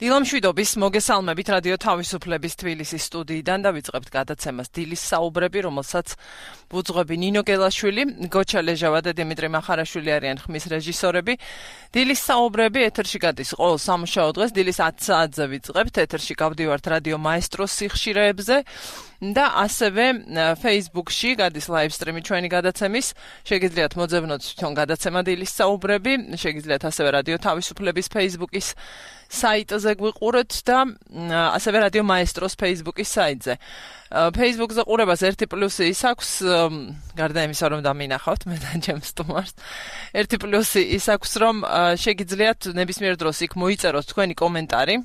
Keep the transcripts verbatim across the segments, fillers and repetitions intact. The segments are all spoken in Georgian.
დილამშვიდობის მოგესალმებით რადიო თავისუფლების თბილისის სტუდიიდან და ვიწყებთ გადაცემას დილის საუბრები, რომელსაც ვუძღვები ნინო გელაშვილი, გოჩა ლეჟავა და დიმიტრი მახარაშვილი არიან ხმის რეჟისორები. დილის საუბრები ეთერში გადის ყოველ სამუშაო დღეს დილის ათი საათზე ვიწყებთ. ეთერში გავდივართ რადიო მაესტროს სიხშირეებზე და ასევე Facebook-ში გადის ლაივსტრიმი ჩვენი გადაცემის. შეგიძლიათ მოძებნოთ თვითონ გადაცემა დილის საუბრები, შეგიძლიათ ასევე რადიო თავისუფლების Facebook-ის საიტზე გვიყურეთ და ასევე რადიო მაესტროს Facebook-ის საიტზე. Facebook-ზე ყურებას ერთი პლუსი ის აქვს, გარდა იმისა, რომ დამინახავთ მე და ჩემ სტუმარს. ერთი პლუსი ის აქვს, რომ შეგიძლიათ ნებისმიერ დროს იქ მოიწეროთ თქვენი კომენტარი.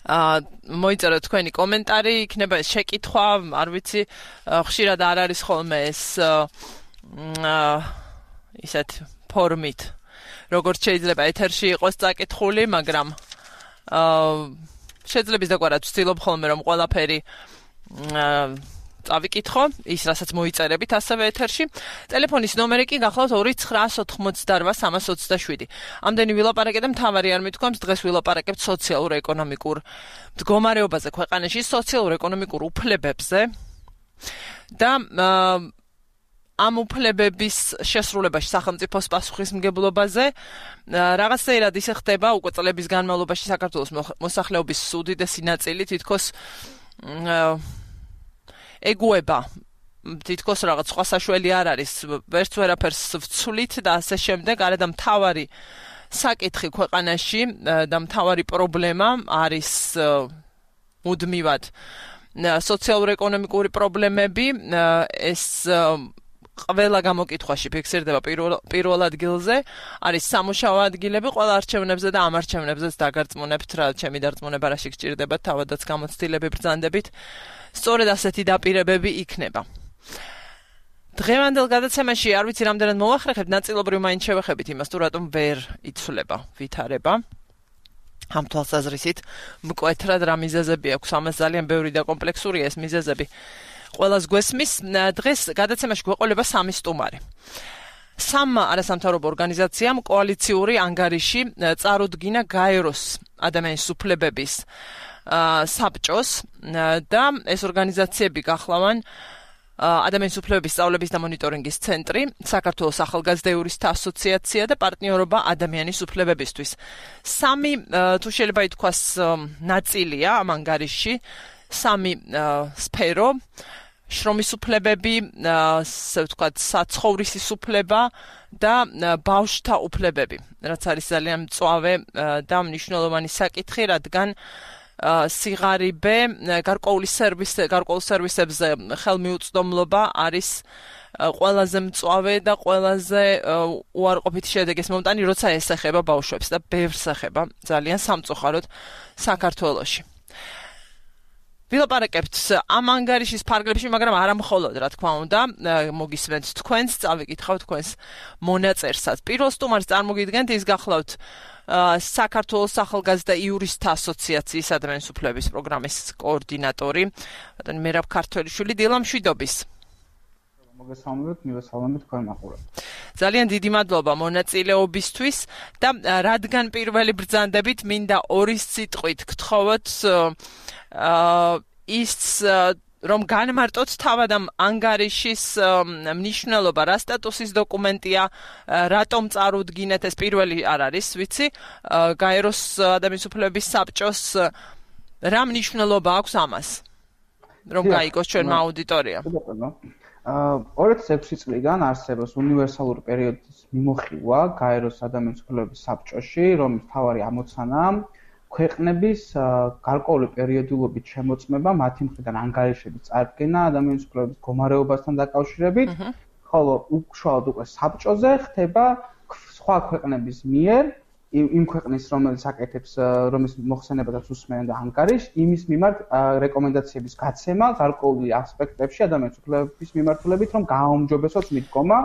აა მოიწეროთ თქვენი კომენტარი, იქნება შეკითხვა, არ ვიცი, ხშირად არ არის ხოლმე ეს აა ისეთ ფორმით. როგორც შეიძლება ეთერში იყოს წაკითხული, მაგრამ აა შეძლებს დაგვარად ვცდილობ ხოლმე რომ ყველაფერი აა წავიკითხო, ის რასაც მოიწერებით ასევე ეთერში. ტელეფონის ნომერი კი გახლავთ ორი ცხრა ოთხმოცდარვა სამას ოცდაშვიდი. ამდენი ვილაპარაკე და მთავარი არ მithქვამს, დღეს ვილაპარაკებთ სოციალურ-ეკონომიკურ მდგომარეობაზე ქვეყანაში, სოციალურ-ეკონომიკურ უფლებებზე და აა ამ უფლებების შესრულებაში სახელმწიფოს პასუხისმგებლობაზე რაღაცნაირად ისე ხდება უკვე წლების განმავლობაში საქართველოს მოსახლეობის უდიდესი ნაწილი თითქოს ეგუება თითქოს რაღაც სხვა საშველი არ არის ვერც ვერაფერს ვცვლით და ასე შემდეგ არა და მთავარი საკითხი ქვეყანაში და მთავარი პრობლემა არის მუდმივად სოციალურ-ეკონომიკური პრობლემები ეს ყველა გამოკითხვაში ფიქსირდება პირველ ადგილზე არის სამუშაო ადგილები ყველა არჩევნებზე და ამ არჩევნებზეც დაგარწმუნებთ რა ჩემი დარწმუნება რაში გჭირდება თავადაც გამოცდილები ბრძანდებით სწორედ ასეთი დაპირებები იქნება დღევანდელ გადაცემაში არ ვიცი რამდენად მოვახერხებთ ნაწილობრივ მაინც შევეხებით იმას თუ რატომ ვერ იცვლება ვითარება ამ თვალსაზრისით მკვეთრად რა მიზეზები აქვს ამას ძალიან ბევრი და კომპლექსურია ეს მიზეზები ყველას გვესმის დღეს გადაცემაში გვეყოლება სამი სტუმარი. სამ არასამთავრობო ორგანიზაციამ კოალიციური ანგარიში წარუდგინა გაეროს ადამიანის უფლებების საბჭოს და ეს ორგანიზაციები გახლავან ადამიანის უფლებების სწავლების და მონიტორინგის ცენტრი, საქართველოს ახალგაზრდა იურისტთა ასოციაცია და პარტნიორობა ადამიანის უფლებებისთვის. სამი თუ შეიძლება ითქვას ნაწილია ამ ანგარიშში, სამი სფერო შრომის უფლებები, ასე ვთქვათ, საცხოვრისის უფლება და ბავშვთა უფლებები, რაც არის ძალიან მწვავე და მნიშვნელოვანი საკითხი, რადგან სიღარიბე, გარკვეული სერვისი, გარკვეულ სერვისებზე ხელმიუწვდომლობა არის ყველაზე მწვავე და ყველაზე უარყოფითი შედეგის მომტანი, როცა ეს ეხება ბავშვებს და ბევრს ეხება ძალიან სამწუხაროდ საქართველოში. ვილაპარაკებთ ამ ანგარიშის ფარგლებში, მაგრამ არა მხოლოდ, რა თქმა უნდა, მოგისმენთ თქვენს, წავიკითხავთ თქვენს მონაწერსაც. პირველ სტუმარს წარმოგიდგენთ, ის გახლავთ საქართველოს ახალგაზრდა იურისტთა ასოციაციის ადამიანის უფლებების პროგრამის კოორდინატორი, ბატონი მერაბ ქართველიშვილი, დილამშვიდობის. მოგესალმებით, მივესალმებით თქვენ მაყურებელს. ძალიან დიდი მადლობა მონაწილეობისთვის და რადგან პირველი ბრძანდებით მინდა ორი სიტყვით გთხოვოთ აა ის რომ განმარტოთ თავად ამ ანგარიშის მნიშვნელობა, რა სტატუსის დოკუმენტია, რატომ წარუდგინეთ, ეს პირველი არ არის, ვიცი, გაეროს ადამიანის უფლებების საბჭოს რა მნიშვნელობა აქვს ამას, რომ გაიგოს ჩვენმა აუდიტორიამ. აა ორი ათას ექვსი წლიდან არსებობს უნივერსალური პერიოდის მიმოხილვა გაეროს ადამიანის უფლებების საბჭოში, რომლის მთავარი ამოცანაა ქვეყნების გარკვეული პერიოდულობით შემოწმება მათი მხრიდან ანგარიშების წარდგენა ადამიანის უფლებების მდგომარეობასთან დაკავშირებით, ხოლო უშუალოდ უკვე საბჭოზე ხდება სხვა ქვეყნების მიერ იმ ქვეყნის რომელიც აკეთებს რომის მოხსენებადაც უსმენენ და ანგარიშს იმის მიმართ რეკომენდაციების გაცემა გარკვეული ასპექტებში ადამიანის უფლებების მიმართულებით რომ გააუმჯობესოს მიდგომა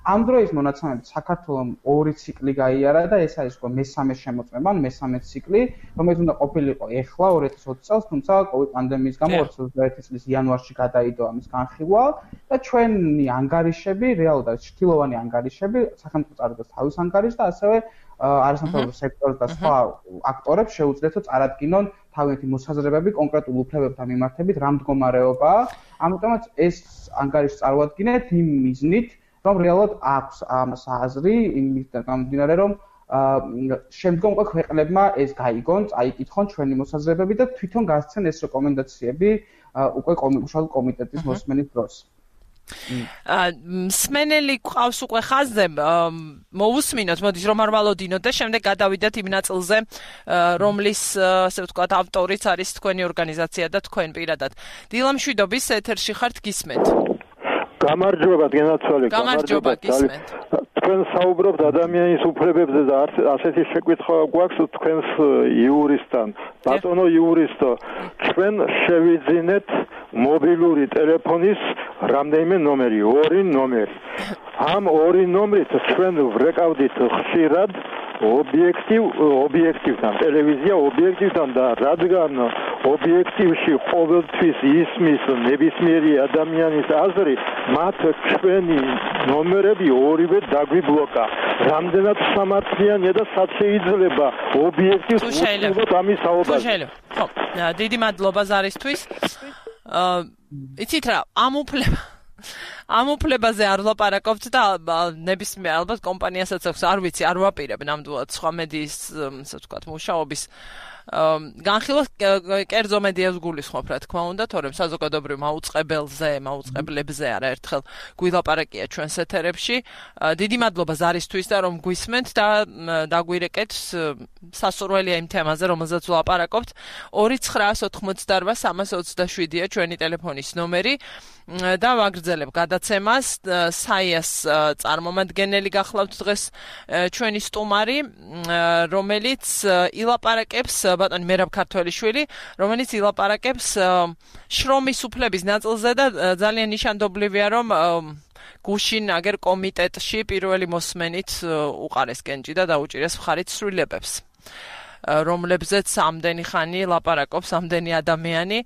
ამ დროის მონაცემებით საქართველოს ორი ციკლი გაიარა და ეს არის მესამე შემოწმება, ან მესამე ციკლი, რომელიც უნდა ყოფილიყო ეხლა ორი ათი ოცი წელს, თუმცა COVID პანდემიის გამო ორი ათი ოცდაერთი წლის იანვარში გადაიდო ამის განხილვა და ჩვენი ანგარიშები, რეალურად არის ჩრდილოვანი ანგარიშები, სახელმწიფო წარდგას თავის ანგარიშს და ასევე არასამთავრობო სექტორს და სხვა აქტორებს შეუძლიათ წარადგინონ თავიანთი მოსაზრებები კონკრეტულ უფლებებთან მიმართებით რა მდგომარეობაა. ამიტომაც ეს ანგარიში წარუადგინეთ იმ მიზნით, რომ რეალურად აქვს ამას აზრი იმისგან გამომდინარე, რომ შემდგომ უკვე ქვეყნებმა ეს გაიგონ, წაიკითხონ ჩვენი მოსაზრებები და თვითონ გასცენ ეს რეკომენდაციები უკვე უშუალოდ კომიტეტის მოსმენის დროს. მსმენელი ყავს უკვე ხაზზე, მოусმინოთ, მოდით რომ არ ვალოდინოთ და შემდეგ გადავიდეთ იმ ნაწილზე, რომლის, ასე ვთქვათ, ავტორიც არის თქვენი ორგანიზაცია და თქვენ პირადად. დილა მშვიდობის ეთერში ხართ, გისმენთ. გამარჯობა, გენაცვალე, გამარჯობა, გისმენთ. თქვენ საუბრობთ ადამიანის უფლებებზე და ასეთი შეკითხვა გვაქვს თქვენს იურისტთან. ბატონო იურისტო, ჩვენ შევიძინეთ მობილური ტელეფონის რამდენიმე ნომერი, ორი ნომერი. ამ ორი ნომრით ჩვენ ვრეკავდით ხშირად ობიექტივ ობიექტივთან, ტელევიზია ობიექტივთან და რადგან ობიექტივში ყოველთვის ისმის ნებისმიერი ადამიანის აზრი, მათ ჩვენი ნომერები ორივე დაგვიბლოკა. რამდენად სამართლიანია და სად შეიძლება ობიექტივს უსწრებოთ ამის საუბარს. ხო, დიდი მადლობა ზარისთვის. იცით რა, ამ უფლება ამ უფლებაზე არ ვლაპარაკობთ და ნებისმიერ ალბათ კომპანიასაც აქვს, არ ვიცი, არ ვაპირებ ნამდვილად სხვა მედიის, ასე ვთქვათ, მუშაობის განხილვას კერძო მედიას გულისხმობ, რა თქმა უნდა, თორემ საზოგადოებრივ მაუწყებელზე, მაუწყებლებზე არაერთხელ გვილაპარაკია ჩვენს ეთერებში. დიდი მადლობა ზარისთვის და რომ გვისმენთ და დაგვირეკეთ სასურველია იმ თემაზე, რომელზეც ვლაპარაკობთ. ორი ცხრაას ოთხმოცდაორბა სამას ოცდაშვიდია ჩვენი ტელეფონის ნომერი და ვაგრძელებ გადაცემას. საიას წარმომადგენელი გახლავთ დღეს ჩვენი სტუმარი, რომელიც ილაპარაკებს, ბატონი მერაბ ქართველიშვილი, რომელიც ილაპარაკებს შრომის უფლების ნაწილზე და ძალიან ნიშანდობლივია, რომ გუშინ აგერ კომიტეტში პირველი მოსმენით უყარეს კენჭი და დაუჭირეს მხარით ცვლილებებს, რომლებზეც ამდენი ხანი ლაპარაკობს ამდენი ადამიანი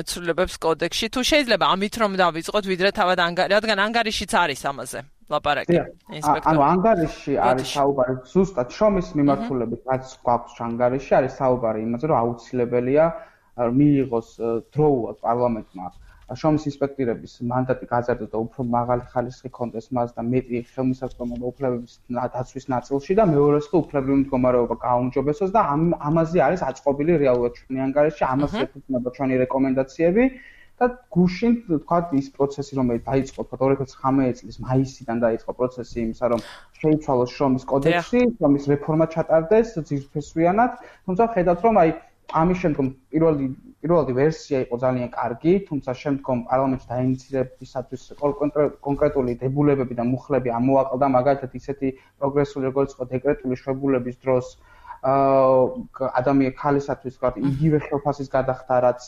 ცვლილებებს კოდექსში. თუ შეიძლება ამით რომ დავიწყოთ, ვიდრე თავად ანგარიში, რადგან ანგარიშიც არის ამაზე ლაპარაკი. ანუ ანგარიში არის საუბარი ზუსტად შრომის მიმართულებით, რაც გვაქვს ანგარიში, არის საუბარი იმაზე, რომ აუცილებელია მიიღოს დროულად პარლამენტმა შრომის ინსპექტორების მანდატი გაზარდოს და უფრო მაღალი ხარისხი კონდეს მას და მეტი ხელმისაწვდომობა უფლებების დაცვის ნაწილში და მეორეს კი უფლებრივი მდგომარეობა გააუმჯობესოს და ამაზე არის აწყობილი რეალურად ჩვენი ანგარიში, ამას ეფუძნება ჩვენი რეკომენდაციები და გუშინ თქვათ ის პროცესი, რომელიც დაიწყო ორი ათი ოცდათხმეტი წლის მაისიდან დაიწყო პროცესი იმისა, რომ შეიცვალოს შრომის კოდექსი, შრომის რეფორმა ჩატარდეს ძირფესვიანად, თუმცა ხედავთ, რომ აი ამის შემდგომ პირველი პირველი ვერსია იყო ძალიან კარგი, თუმცა შემდგომ პარლამენტში დაინიცირებისათვის კონკრეტული დებულებები და მუხლები ამოაყალდა, მაგალითად ისეთი პროგრესული როგორც იყო დეკრეტული შვებულების დროს ადამიანის ხალისათვის ვთქვათ, იგივე ხელფასის გადახდა, რაც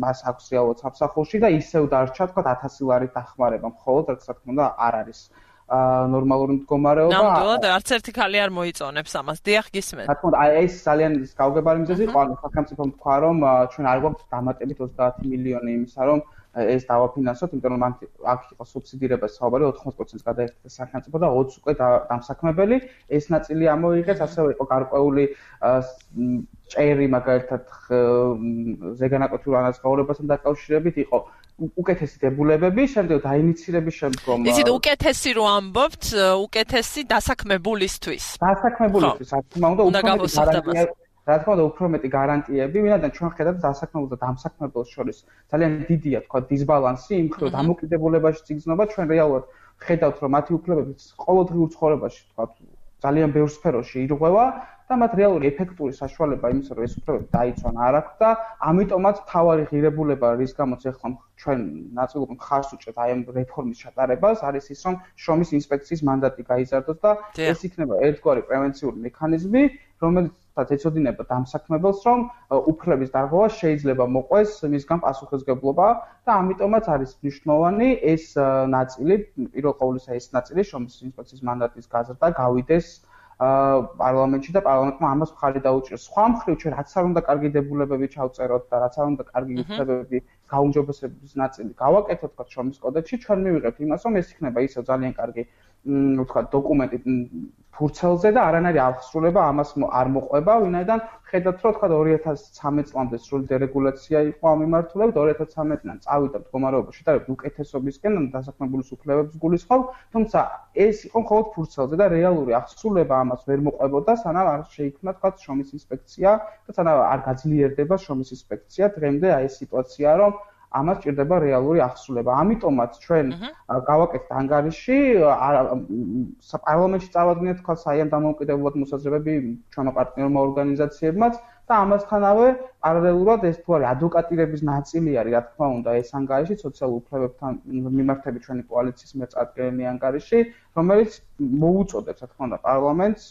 მას აქვს რეალურად სამსახურში და ისევ დარჩა ვთქვათ ათასი ლარით დახმარება, მხოლოდ რაც რა თქმა უნდა არ არის ნორმალური მდგომარეობა. ნამდვილად არც ერთი ხალი არ მოიწონებს ამას. დიახ, გისმენთ. რა თქმა უნდა, ეს ძალიან გაუგებარი მიზეზი იყო, ანუ სახელმწიფომ თქვა, რომ ჩვენ არ გვაქვს დამატებით ოცდაათი მილიონი იმისა, რომ ეს დავაფინანსოთ, იმიტომ რომ აქ იყო სუბსიდირებას საუბარი ოთხმოცი პროცენტს გადაიხადა სახელმწიფო და ოცი უკვე დამსაქმებელი. ეს ნაწილი ამოიღეს, ასევე იყო გარკვეული ჭერი, მაგალითად ზეგანაკოთურ ანაზღაურებასთან დაკავშირებით იყო უკეთესი დებულებები, შემდეგ დაინიცირების შემდგომ. იცით, უკეთესი რო ამბობთ, უკეთესი დასაქმებულისთვის. დასაქმებულისთვის, რა თქმა უნდა, უფრო მეტი რა თქმა უნდა, უფრო მეტი გარანტიები, ვინაიდან ჩვენ ხედავთ დასაქმებულ და დამსაქმებელს შორის ძალიან დიდია, თქვა, დისბალანსი, იმ მხრივ დამოკიდებულებაში ციგზნობა, ჩვენ რეალურად ხედავთ, რომ მათი უფლებები ყოველდღიურ ცხოვრებაში, თქვა, ძალიან ბევრ სფეროში ირღვევა და მათ რეალური ეფექტური საშუალება იმისა, რომ ეს უფლებები დაიცვან არ აქვს და ამიტომაც მთავარი ღირებულება, რის გამოც ახლა ჩვენ ნაწილობრივ მხარს უჭერთ აი ამ რეფორმის ჩატარებას, არის ის, რომ შრომის ინსპექციის მანდატი გაიზარდოს და ეს იქნება ერთგვარი პრევენციული მექანიზმი, რომელიც თუნდაც ეცოდინება დამსაქმებელს, რომ უფლების დარღვევა შეიძლება მოყვეს მისგან პასუხისმგებლობა და ამიტომაც არის მნიშვნელოვანი ეს ნაწილი, პირველ ყოვლისა ეს ნაწილი შრომის ინსპექციის მანდატის გაზრდა გავიდეს პარლამენტში და პარლამენტმა ამას მხარი დაუჭიროს. სხვა მხრივ ჩვენ რაც არ უნდა კარგი დებულებები ჩავწეროთ და რაც არ უნდა კარგი უფლებები გაუმჯობესების ნაწილი გავაკეთოთ თქვა შრომის კოდექსში, ჩვენ მივიღებთ იმას, რომ ეს იქნება ისევ ძალიან კარგი თქვა დოკუმენტი ფურცელზე და არანაირი აღსრულება ამას არ მოყვება, ვინაიდან ხედავთ რომ თქვა ორი ათას ცხრამეტ წლამდე სრული დერეგულაცია იყო ამ მიმართულებით, ორი ათას ცხრამეტიდან წავიდა მდგომარეობა შედარებით უკეთესობისკენ და დასაქმებულის უფლებებს გულისხმობ, თუმცა ეს იყო მხოლოდ ფურცელზე და რეალური აღსრულება ამას ვერ მოყვებოდა, სანამ არ შეიქმნა თქვა შრომის ინსპექცია და სანამ არ გაძლიერდება შრომის ინსპექცია, დღემდე აი ეს სიტუაციაა, რომ ამას ჭირდება რეალური აღსრულება. ამიტომაც ჩვენ გავაკეთეთ ანგარიში, პარლამენტში წავადგინეთ თქვა საიან დამოუკიდებლად მოსაზრებები ჩვენო პარტნიორმა ორგანიზაციებმაც და ამასთანავე პარალელურად ეს თუ არის ადვოკატირების ნაწილი არის, რა თქმა უნდა, ეს ანგარიში სოციალურ უფლებებთან მიმართებით ჩვენი კოალიციის მიერ წარდგენილი ანგარიში, რომელიც მოუწოდებს, რა თქმა უნდა, პარლამენტს,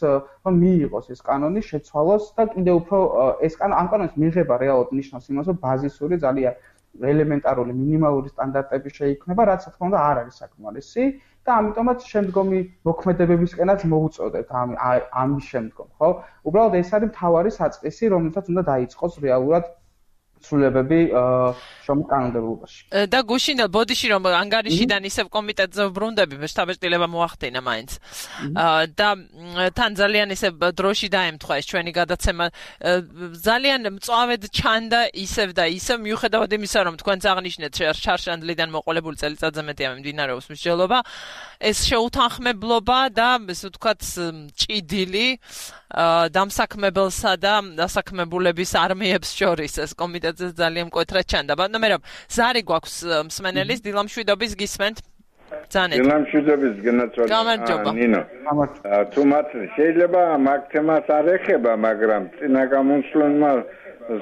რომ მიიღოს ეს კანონი, შეცვალოს და კიდევ უფრო ეს ამ კანონის მიღება რეალურად ნიშნავს იმას, რომ ბაზისური ძალიან ელემენტარული მინიმალური სტანდარტები შეიქმნება, რაც რა თქმა უნდა არ არის საკმარისი და ამიტომაც შემდგომი მოქმედებებისკენაც მოუწოდებთ ამ ამის შემდგომ, ხო? უბრალოდ ეს არის მთავარი საწყისი, რომელსაც უნდა დაიწყოს რეალურად ცვლილებები შრომის კანონმდებლობაში. და გუშინდელ ბოდიში რომ ანგარიშიდან ისევ კომიტეტზე ვბრუნდები, შტაბ-ეტილება მოახდინა მაინც. და თან ძალიან ისევ დროში დაემთხვა ეს ჩვენი გადაცემა. ძალიან მწვავედ ჩანდა ისევ და ისევ მიუხედავად იმისა, რომ თქვენც აღნიშნეთ შარშანდლიდან მოყოლებული წელიწადზე მეტია მიმდინარეობს მსჯელობა, ეს შეუთანხმებლობა და ესე ვთქვათ ჭიდილი დამსაქმებელსა და დასაქმებულების არმიებს შორის ეს კომიტეტზე ძალიან მკვეთრად ჩანდა. ბატონო მერაბ, ზარი გვაქვს მსმენელის დილამშვიდობის გისმენთ. ძალიან. დილამშვიდობის გენაცვალა ნინო. თუ მათ შეიძლება მაგ თემას არ ეხება, მაგრამ წინა გამოსვლენმა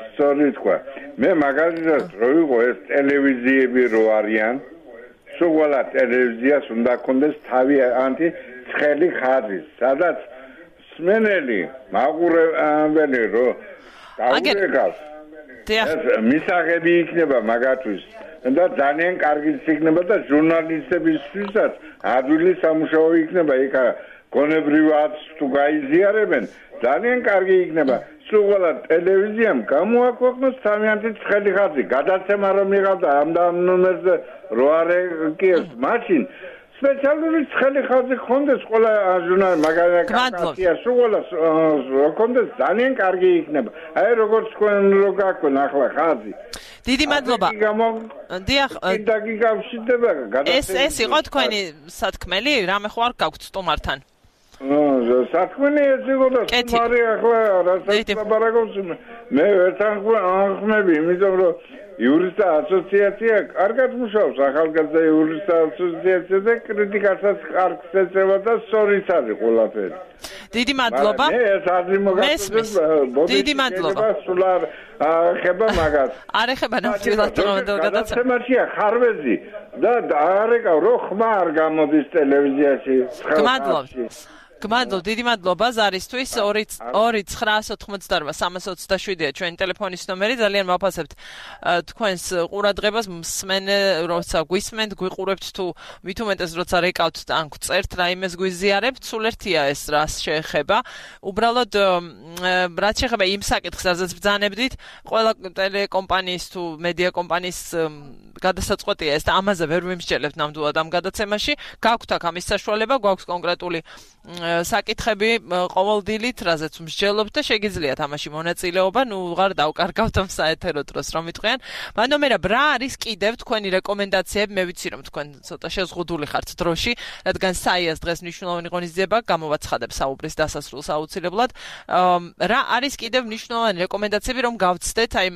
სწორი თქვა. მე მაგალითად რო ვიყო ეს ტელევიზიები რო არიან, სულ ტელევიზიას უნდა ქონდეს თავი ანტი ცხელი ხაზი, სადაც სმენელი მაყურებელი რო დაურეკავს მისაღები იქნება მაგათვის და ძალიან კარგი იქნება და ჟურნალისტებისთვისაც ადვილი სამუშაო იქნება იქ გონებრივად თუ გაიზიარებენ ძალიან კარგი იქნება სულ ტელევიზიამ გამოაქვეყნოს თავიანთი ცხელი ხაზი გადაცემა რომ მიღავდა ამ და ამ ნომერზე რო არეკიეს მაშინ სპეციალური ცხელი ხაზი ხონდეს ყველა ჟურნალი მაგალითად სულ ხონდეს ძალიან კარგი იქნება აი როგორც თქვენ რო გაქვენ ახლა ხაზი დიდი მადლობა დიახ ეს ეს იყო თქვენი სათქმელი რამე ხო არ გაქვთ სტუმართან სათქმელი ეს იყო და სტუმარი ახლა რასაც ლაპარაკობს მე ერთად ახმები იმიტომ რომ იურისტთა ასოციაცია კარგად მუშაობს ახალგაზრდა იურისტთა ასოციაცია და კრიტიკასაც კარგს ეწევა და სწორიც არის ყველაფერი დიდი მადლობა მე ეს აზრი მოგახსოვს დიდი მადლობა სულ არ ხება მაგას არ ეხება ნამდვილად გადაცემაშია ხარვეზი და არეკავ რო ხმა არ გამოდის ტელევიზიაში გმადლობთ გმადლობ, დიდი მადლობა ზარისთვის ორი ცხრაას ოთხმოცდაორმა სამას ოცდაშვიდია ჩვენი ტელეფონის ნომერი ძალიან მაფასებთ თქვენს ყურადღებას მსმენე როცა გვისმენთ გვიყურებთ თუ მით უმეტეს როცა რეკავთ ან გწერთ რაიმეს გვიზიარებთ სულ ერთია ეს რას შეეხება უბრალოდ რაც შეეხება იმ საკითხს რაზეც ბრძანებდით ყველა ტელეკომპანიის თუ მედია კომპანიის გადასაწყვეტია ეს და ამაზე ვერ ვიმსჯელებთ ნამდვილად ამ გადაცემაში გაქვთ აქ ამის საშუალება გვაქვს კონკრეტული საკითხები ყოველდილით, რაზეც მსჯელობთ და შეგიძლიათ ამაში მონაწილეობა, ნუ ვღარ დავკარგავთ ამ საეთერო დროს რომ იტყვიან. ბატონო მერაბ, რა არის კიდევ თქვენი რეკომენდაციები? მე ვიცი რომ თქვენ ცოტა შეზღუდული ხართ დროში, რადგან საიას დღეს მნიშვნელოვანი ღონისძიება გამოვაცხადებ საუბრის დასასრულს აუცილებლად. რა არის კიდევ მნიშვნელოვანი რეკომენდაციები რომ გავცდეთ აი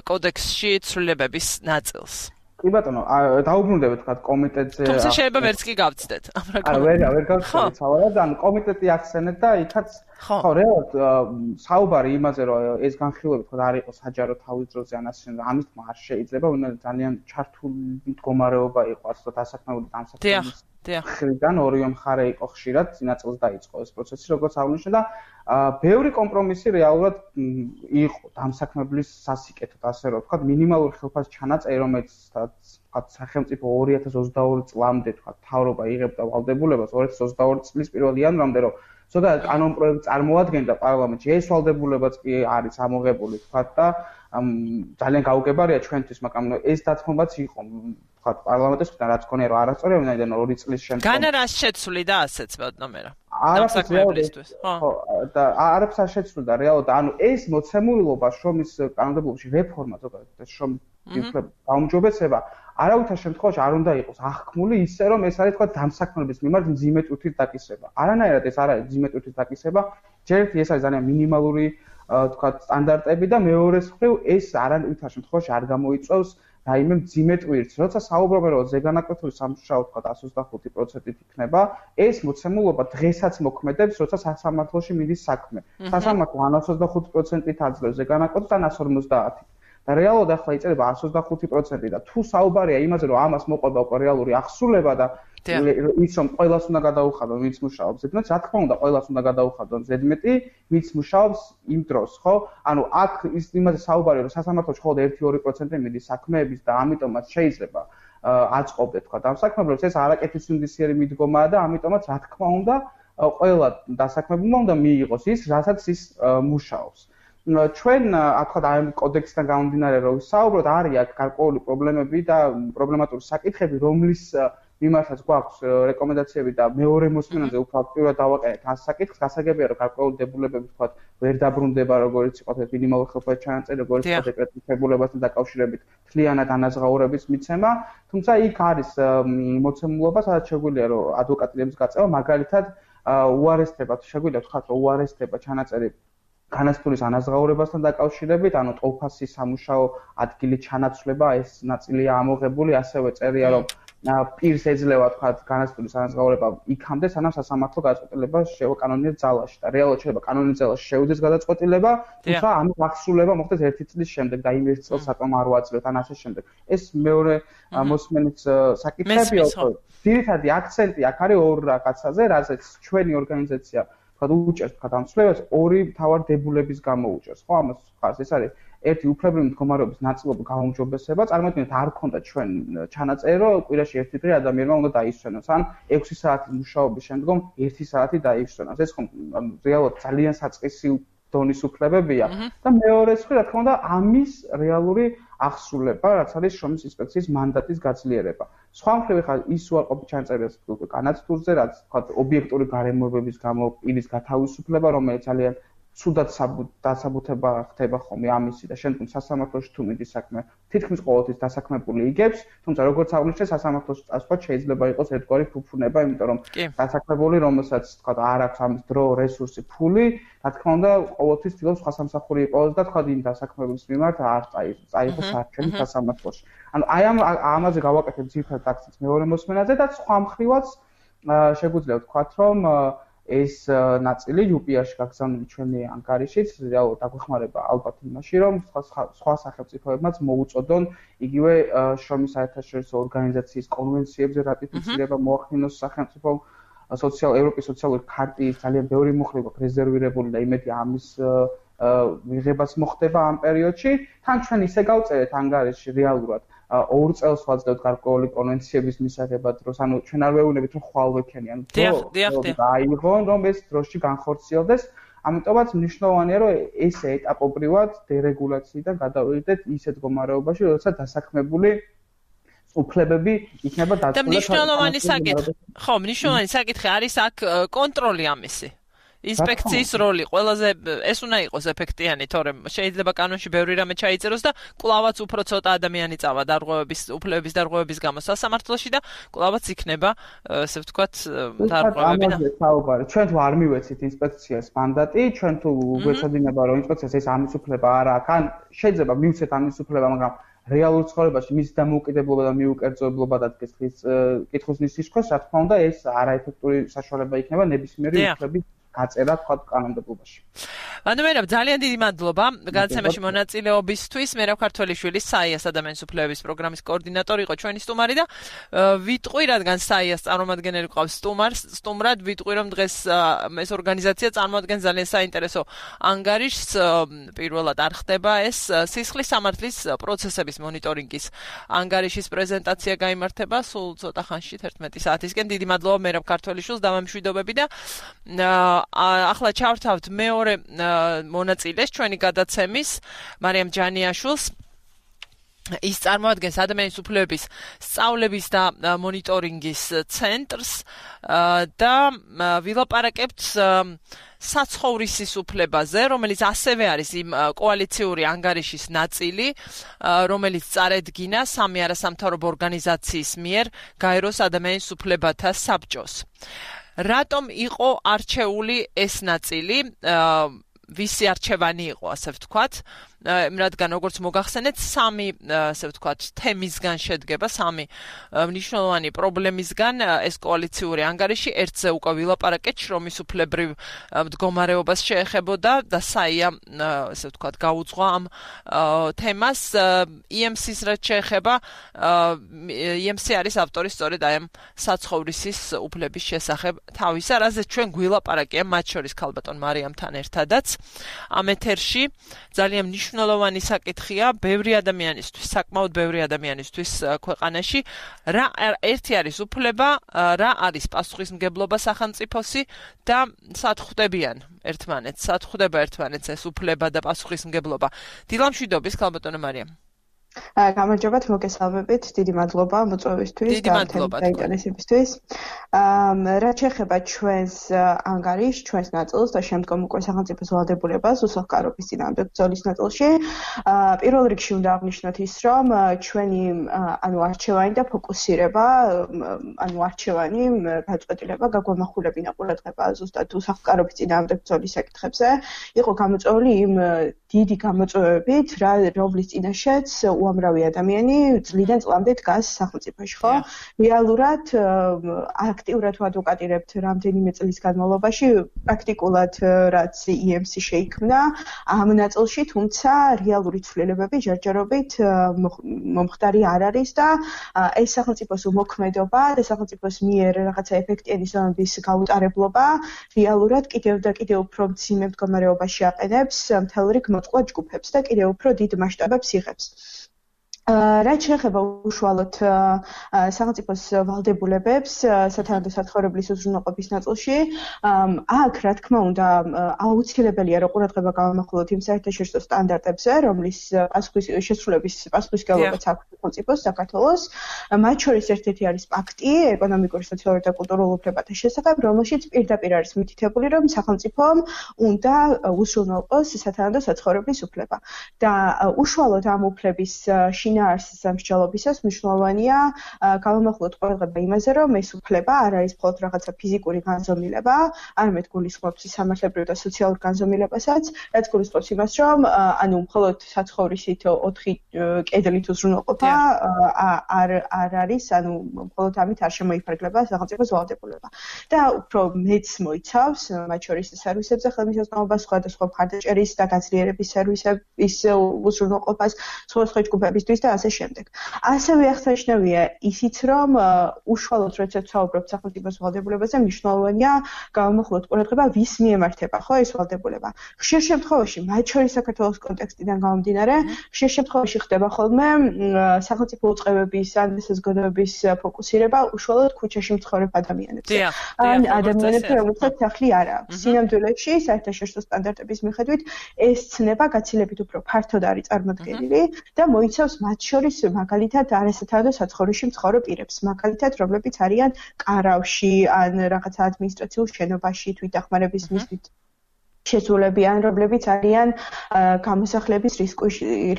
კოდექსში ცვლილებების ნაწილს? კი ბატონო, დაუბრუნდებით თქვა კომიტეტზე. თუმცა შეიძლება ვერც კი გავცდეთ ამ რეკომენდაციას. არა, ვერ ვერ გავცდეთ სავარად, ან კომიტეტი ახსენეთ და იქაც ხო, რეალურად საუბარი იმაზე რომ ეს განხილვები თქვა არ იყოს საჯარო თავის დროზე ან ასე ამის თქმა არ შეიძლება, ვინმე ძალიან ჩართული მდგომარეობა იყო ასე დასაქმებული დამსაქმების მხრიდან ორივე მხარე იყო ხშირად წინა წელს დაიწყო ეს პროცესი როგორც აღნიშნე და ბევრი კომპრომისი რეალურად იყო დამსაქმებლის სასიკეთოდ ასე რომ ვთქვათ მინიმალური ხელფასის ჩანაწერი რომელიც ვთქვათ სახელმწიფო ორი ათას ოცდაორი წლამდე ვთქვათ მთავრობა იღებდა ვალდებულებას ორი ათას ოცდაორი წლის პირველ იანვრამდე რომ ზოგადად კანონ პროექტი წარმოადგენდა პარლამენტში ეს ვალდებულებაც კი არის ამოღებული ვთქვათ და ძალიან გაუგებარია ჩვენთვის მაგრამ ეს დათმობაც იყო ვთქვათ პარლამენტის მხრიდან რაც ქონია რომ არასწორია ვინაიდან ორი წლის შემდეგ განა რას შეცვლი და ასეც ბატონო დამსაქმებლისთვის ხო და არაფერს არ შეცვლიდა რეალურად ანუ ეს მოცემულობა შრომის კანონმდებლობაში რეფორმა ზოგადად შრომის გაუმჯობესება არავითარ შემთხვევაში არ უნდა იყოს აღქმული ისე რომ ეს არის თქვა დამსაქმებლების მიმართ მძიმე ტვირთის დაკისრება. არანაირად ეს არ არის მძიმე ტვირთის დაკისრება, ჯერ ერთი ეს არის ძალიან მინიმალური თქვა სტანდარტები და მეორეს მხრივ ეს არანაირად შემთხვევაში არ გამოიწვევს რაიმე მძიმე ტვირთს. როცა საუბრობენ რომ ზეგანაკვეთური სამუშაო თქვა εκατს ოცდახუთი პროცენტით იქნება, ეს მოცემულობა დღესაც მოქმედებს, როცა სასამართლოში მიდის საქმე. სასამართლო εκατს ოცდახუთი პროცენტით აძლევს ზეგანაკვეთს და εκατს ორმოცდაათი. და რეალურად ახლა იწერება εκατს ოცდახუთი პროცენტი და თუ საუბარია იმაზე რომ ამას მოყვება უკვე რეალური აღსრულება და ის რომ ყველას უნდა გადაუხადონ ვინც მუშაობს ზედმეტ რა თქმა უნდა ყველას უნდა გადაუხადონ ზედმეტი ვინც მუშაობს იმ დროს ხო ანუ აქ ის იმაზე საუბარია რომ სასამართლოში მხოლოდ ერთი ორი პროცენტი მიდის საქმეების და ამიტომაც შეიძლება აწყობდეთ თქვა დამსაქმებლებს ეს არაკეთის ინდისიერი მიდგომაა და ამიტომაც რა თქმა უნდა ყველა დასაქმებულმა უნდა მიიღოს ის რასაც ის მუშაობს ჩვენ თქვა აი კოდექსიდან გამომდინარე რომ ვისაუბროთ არის აქ გარკვეული პრობლემები და პრობლემატური საკითხები რომლის მიმართაც გვაქვს რეკომენდაციები და მეორე მოსმენაზე უფრო აქტიურად დავაყენეთ ამ საკითხს გასაგებია რომ გარკვეული დებულებები თქვა ვერ დაბრუნდება როგორც იყო მინიმალური ხელფასის ჩანაწერი როგორც იყო დეკრეტის დებულებასთან დაკავშირებით თლიანად ანაზღაურების მიცემა თუმცა იქ არის მოცემულობა სადაც შეგვიძლია რომ ადვოკატების გაწევა მაგალითად უარესდება შეგვიძლია თქვა რომ უარესდება ჩანაწერი განათლების ანაზღაურებასთან დაკავშირებით, ანუ ტოლფასის სამუშაო ადგილი ჩანაცვლება, ეს ნაწილია ამოღებული, ასევე წერია, რომ პირს ეძლევა თქვა განათლების ანაზღაურება იქამდე, სანამ სასამართლო გადაწყვეტილება შევაკანონიერ ძალაში და რეალურად შეიძლება კანონიერ ძალაში შევიდეს გადაწყვეტილება, თუმცა ამის აღსრულება მოხდეს ერთი წლის შემდეგ და იმ ერთ წელს საკმ არ უაძლევთ ან ასე შემდეგ. ეს მეორე მოსმენის საკითხებია, ძირითადი აქცენტი აქ არის ორ რაღაცაზე, რაზეც ჩვენი ორგანიზაცია თქვა უჭერს თქვა დამცველებს ორი მთავარ დებულების გამო უჭერს ხო ამას ხარს ეს არის ერთი უფლებრივი მდგომარეობის ნაწილობრივ გაუმჯობესება წარმოიდგინეთ არ ქონდა ჩვენ ჩანაწერი რომ კვირაში ერთი დღე ადამიანმა უნდა დაისვენოს ან ექვსი საათის მუშაობის შემდგომ ერთი საათი დაისვენოს ეს ხო რეალურად ძალიან საწყისი დონის უფლებებია და მეორე მხრივ რა თქმა უნდა ამის რეალური აღსრულება რაც არის შრომის ინსპექციის მანდატის გაძლიერება სხვა მხრივ ხა ის უარყოფით ჩანაწერებს განათლურზე რაც თქვა ობიექტური გარემოებების გამო პირის გათავისუფლება რომელიც ძალიან ცუდად დასაბუთება ხდება ხოლმე ამისი და შემდგომ სასამართლოში თუ მიდის საქმე თითქმის ყოველთვის დასაქმებული იგებს თუმცა როგორც აღნიშნე სასამართლოში წასვლა შეიძლება იყოს ერთგვარი ფუფუნება იმიტომ რომ დასაქმებული რომელსაც თქვა არ აქვს ამის დრო რესურსი ფული რა თქმა უნდა ყოველთვის ცდილობს სხვა სამსახური იყოს და თქვა იმ დასაქმებლის მიმართ არ წაიღოს არჩევანი სასამართლოში ანუ აი ამ ამაზე გავაკეთებ ძირითადად აქცენტს მეორე მოსმენაზე და სხვა მხრივაც შეგვიძლია ვთქვათ რომ ეს ნაწილი იუ პი არ-ში გაგზავნილი ჩვენი ანგარიშით რეალურად დაგვეხმარება ალბათ იმაში რომ სხვა სახელმწიფოებმაც მოუწოდონ იგივე შრომის საერთაშორისო ორგანიზაციის კონვენციებზე რატიფიცირება მოახდინოს სახელმწიფო სოციალ ევროპის სოციალური ქარტიის ძალიან ბევრი მხრივ რეზერვირებული და იმედი ამის მიღებას მოხდება ამ პერიოდში თან ჩვენ ისე გავწერეთ ანგარიშში რეალურად ორ წელს ვაძლევთ გარკვეული კონვენციების მისაღებად დროს ანუ ჩვენ არ ვეუბნებით რომ ხვალ ვექენიან დრო აიღონ რომ ეს დროში განხორციელდეს ამიტომაც მნიშვნელოვანია რომ ეს ეტაპობრივად დერეგულაციიდან გადავიდეთ ისეთ მდგომარეობაში როდესაც დასაქმებული უფლებები იქნება დაცული და მნიშვნელოვანი საკითხი ხო მნიშვნელოვანი საკითხი არის აქ კონტროლი ამისი ინსპექციის როლი ყველაზე ეს უნდა იყოს ეფექტიანი, თორემ შეიძლება კანონში ბევრი რამე ჩაიწეროს და კვლავაც უფრო ცოტა ადამიანი წავა დარღვევების უფლებების დარღვევების გამო სასამართლოში და კვლავაც იქნება ესე ვთქვათ დარღვევები და საუბარი. ჩვენ თუ არ მივეცით ინსპექციას მანდატი, ჩვენ თუ გვეცოდინება რომ ინსპექციას ეს ამის უფლება არ აქვს, ან შეიძლება მივცეთ ამის უფლება, მაგრამ რეალურ ცხოვრებაში მის დამოუკიდებლობა და მიუკერძოებლობა და კითხვის კითხვის ნისის ქვეშ, რა თქმა უნდა, ეს არაეფექტური საშუალება იქნება ნებისმიერი უფლების გაწერა თქვა კანონმდებლობაში. მადლობა, ძალიან დიდი მადლობა გადაცემაში მონაწილეობისთვის. მერაბ ქართველიშვილი საიას ადამიანის უფლებების პროგრამის კოორდინატორი იყო ჩვენი სტუმარი და ვიტყვი, რადგან საიას წარმომადგენელი ყავს სტუმარს, სტუმრად ვიტყვი, რომ დღეს ეს ორგანიზაცია წარმოადგენს ძალიან საინტერესო ანგარიშს. პირველად არ ხდება ეს სისხლის სამართლის პროცესების მონიტორინგის ანგარიშის პრეზენტაცია გაიმართება სულ ცოტა ხანში თერთმეტი საათისკენ. დიდი მადლობა მერაბ ქართველიშვილს, დამამშვიდობები და ახლა ჩავთავთ მეორე მონაწილეს ჩვენი გადაცემის მარიამ ჯანიაშვილს. ის წარმოადგენს ადამიანის უფლებების სწავლების და მონიტორინგის ცენტრს და ვილაპარაკებთ საცხოვრისის უფლებაზე, რომელიც ასევე არის იმ კოალიციური ანგარიშის ნაწილი, რომელიც წარედგინა სამი არასამთავრობო ორგანიზაციის მიერ გაეროს ადამიანის უფლებათა საბჭოს. რატომ იყო არჩეული ეს ნაწილი? ვისი არჩევანი იყო, ასე ვთქვათ, რადგან როგორც მოგახსენეთ, სამი, ასე ვთქვათ, თემისგან შედგება, სამი მნიშვნელოვანი პრობლემისგან ეს კოალიციური ანგარიში. ერთზე უკვე ვილაპარაკეთ, შრომის უფლებრივ მდგომარეობას შეეხებოდა და საია, ასე ვთქვათ, გაუძღვა ამ თემას. ი ემ სი-ს რაც შეეხება, ი ემ სი არის ავტორი სწორედ აი ამ საცხოვრისის უფლების შესახებ თავისა, რაზეც ჩვენ გვილაპარაკია, მათ შორის ქალბატონ მარიამთან ერთადაც. ამ ეთერში ძალიან მნიშვნელოვანი საკითხია ბევრი ადამიანისთვის, საკმაოდ ბევრი ადამიანისთვის ქვეყანაში, რა ერთი არის უფლება, რა არის პასუხისმგებლობა სახელმწიფოსი და სად ხვდებიან ერთმანეთს, სად ხვდება ერთმანეთს ეს უფლება და პასუხისმგებლობა. დილამშვიდობის ქალბატონო მარიამ. გამარჯობათ, მოგესალმებით, დიდი მადლობა მოწვევისთვის და ინტერესებისთვის. რაც შეეხება ჩვენს ანგარიშს, ჩვენს ნაწილს და შემდგომ უკვე სახელმწიფოს ვალდებულებას უსახლკარობის წინააღმდეგ ბრძოლის ნაწილში, პირველ რიგში უნდა აღვნიშნოთ ის, რომ ჩვენი ანუ არჩევანი და ფოკუსირება, ანუ არჩევანი გაწყვეტილება გაგვამახვილებინა ყურადღება ზუსტად უსახლკარობის წინააღმდეგ ბრძოლის საკითხებზე, იყო გამოწვეული იმ დიდი გამოწვევებით, რომლის წინაშეც უამრავი ადამიანი წლიდან წლამდე დგას სახელმწიფოში, ხო? რეალურად აქტიურად ვადვოკატირებთ რამდენიმე წლის განმავლობაში, პრაქტიკულად რაც ი ემ სი შეიქმნა ამ ნაწილში, თუმცა რეალური ცვლილებები ჯერჯერობით მომხდარი არ არის და ეს სახელმწიფოს უმოქმედობა და სახელმწიფოს მიერ რაღაცა ეფექტიანი ზომების გაუტარებლობა რეალურად კიდევ და კიდევ უფრო მძიმე მდგომარეობაში აყენებს მთელ რიგ მოწყვლად ჯგუფებს და კიდევ უფრო დიდ მასშტაბებს იღებს. რაც შეეხება უშუალოდ სახელმწიფოს ვალდებულებებს სათანადო საცხოვრებლის უზრუნველყოფის ნაწილში, აქ რა თქმა უნდა აუცილებელია რომ ყურადღება გავამახვილოთ იმ საერთაშორისო სტანდარტებზე, რომლის შესრულების პასუხისმგებლობაც აქვს სახელმწიფოს საქართველოს. მათ შორის ერთ-ერთი არის პაქტი ეკონომიკური, სოციალური და კულტურული უფლებათა შესახებ, რომელშიც პირდაპირ არის მითითებული, რომ სახელმწიფომ უნდა უზრუნველყოს სათანადო საცხოვრებლის უფლება. და უშუალოდ ამ უფლების შინაარსის სამსჯელობისას მნიშვნელოვანია გავამახვილოთ ყურადღება იმაზე, რომ ეს უფლება არ არის მხოლოდ რაღაცა ფიზიკური განზომილება, არამედ გულისხმობს სამართლებრივ და სოციალურ განზომილებასაც, რაც გულისხმობს იმას, რომ ანუ მხოლოდ საცხოვრისით ოთხი კედლით უზრუნველყოფა არ არ არის, ანუ მხოლოდ ამით არ შემოიფარგლება სახელმწიფოს ვალდებულება. და უფრო მეც მოიცავს, მათ შორის სერვისებზე ხელმისაწვდომობას, სხვადასხვა მხარდაჭერის და გაძლიერების სერვისების უზრუნველყოფას, სხვადასხვა ჯგუფებისთვის და ასე შემდეგ. ასევე აღსანიშნავია ისიც, რომ უშუალოდ როდესაც ვსაუბრობთ სახელმწიფოს ვალდებულებაზე, მნიშვნელოვანია გავამახვილოთ ყურადღება, ვის მიემართება, ხო, ეს ვალდებულება. ხშირ შემთხვევაში, მათ შორის საქართველოს კონტექსტიდან გამომდინარე, ხშირ შემთხვევაში ხდება ხოლმე სახელმწიფო უწყებების ან საზოგადოების ფოკუსირება უშუალოდ ქუჩაში მცხოვრებ ადამიანებზე. ან ადამიანებზე, რომელსაც სახლი არ აქვს. სინამდვილეში, საერთაშორისო სტანდარტების მიხედვით, ეს ცნება გაცილებით უფრო ფართოდ არის წარმოდგენილი და მოიცავს მათ შორის მაგალითად არასათანადო საცხოვრისში მცხოვრებ პირებს, მაგალითად რომლებიც არიან კარავში ან რაღაცა ადმინისტრაციულ შენობაში თვითდახმარების მიზნით შესულებიან, რომლებიც არიან გამოსახლების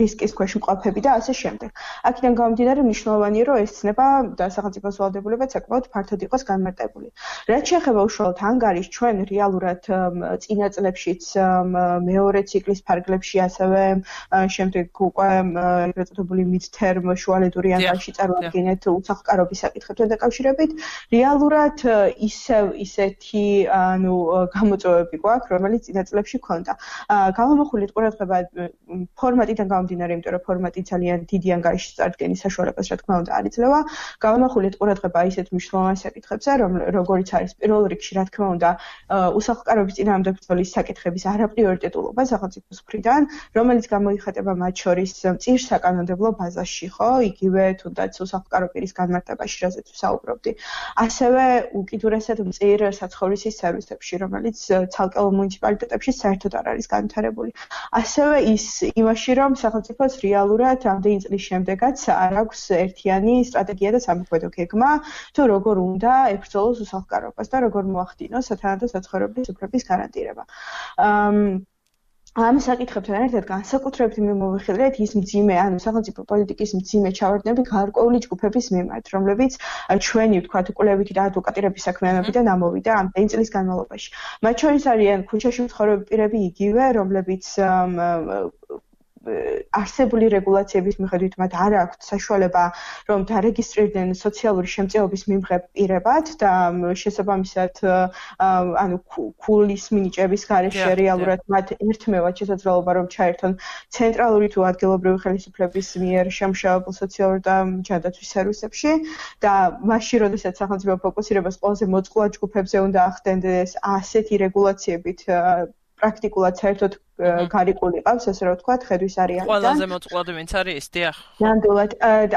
რისკის ქვეშ მყოფები და ასე შემდეგ. აქედან გამომდინარე მნიშვნელოვანია, რომ ეს ცნება და სახელმწიფოს ვალდებულებაც საკმაოდ ფართოდ იყოს განმარტებული. რაც შეეხება უშუალოდ ანგარიშს, ჩვენ რეალურად წინა წლებშიც მეორე ციკლის ფარგლებში, ასევე შემდეგ უკვე ეგრეთ წოდებული mid-term შუალედური ანგარიში წარმოადგენთ უსახლკარობის საკითხებთან დაკავშირებით. რეალურად ისევ ისეთი ანუ გამოწვევები გვაქვს, რომელიც წინა წლებში ქონდა. გამომახვილეთ ყურადღება ფორმატიდან გამომდინარე, იმიტომ რომ ფორმატი ძალიან დიდი ანგარიშის წარდგენის საშუალებას, რა თქმა უნდა, არ იძლევა. გამომახვილეთ ყურადღება ისეთ მნიშვნელოვან საკითხებზე, როგორიც არის პირველ რიგში, რა თქმა უნდა, უსახლკარობის წინააღმდეგ ბრძოლის საკითხების არაპრიორიტეტულობა სახელმწიფოს მხრიდან, რომელიც გამოიხატება მათ შორის წირსაკანონმდებლო ბაზაში, ხო, იგივე თუნდაც უსახლკარო პირის განმარტებაში, რაზეც ვსაუბრობდი. ასევე უკიდურესად მწირ საცხოვრისის სერვისებში, რომელიც ცალკეულ მუნიციპალიტეტებში საერთოდ არ არის განვითარებული. ასევე ის იმაში, რომ სახელმწიფოს რეალურად ამდენი წლის შემდეგაც არ აქვს ერთიანი სტრატეგია და სამოქმედო გეგმა, თუ როგორ უნდა ებრძოლოს უსახლკარობას და როგორ მოახდინოს სათანადო საცხოვრებლის უფლების გარანტირება. ამ საკითხებთან ერთად განსაკუთრებით მიმოვიხილეთ ის მძიმე, ანუ სახელმწიფო პოლიტიკის მძიმე ჩავარდნები გარკვეული ჯგუფების მიმართ, რომლებიც ჩვენი ვთქვათ კვლევითი და ადვოკატირების საქმიანობიდან ამოვიდა ამდენი წლის განმავლობაში. მათ შორის არიან ქუჩაში მცხოვრები პირები იგივე, რომლებიც არსებული რეგულაციების მიხედვით მათ არ აქვთ საშუალება რომ დარეგისტრირდნენ სოციალური შემწეობის მიმღებ პირებად და შესაბამისად ანუ ქულის მინიჭების გარეშე რეალურად მათ ერთმევად შესაძლებლობა რომ ჩაერთონ ცენტრალური თუ ადგილობრივი ხელისუფლების მიერ შემუშავებულ სოციალურ და ჯანდაცვის სერვისებში და მაშინ როდესაც სახელმწიფო ფოკუსირებას ყველაზე მოწყვლად ჯგუფებზე უნდა ახდენდეს ასეთი რეგულაციებით პრაქტიკულად საერთოდ გარიყული ყავს, ასე რომ ვთქვათ, ხედვის არეალიდან. ყველაზე მოწყვლადი ვინც არის, დიახ. ნამდვილად.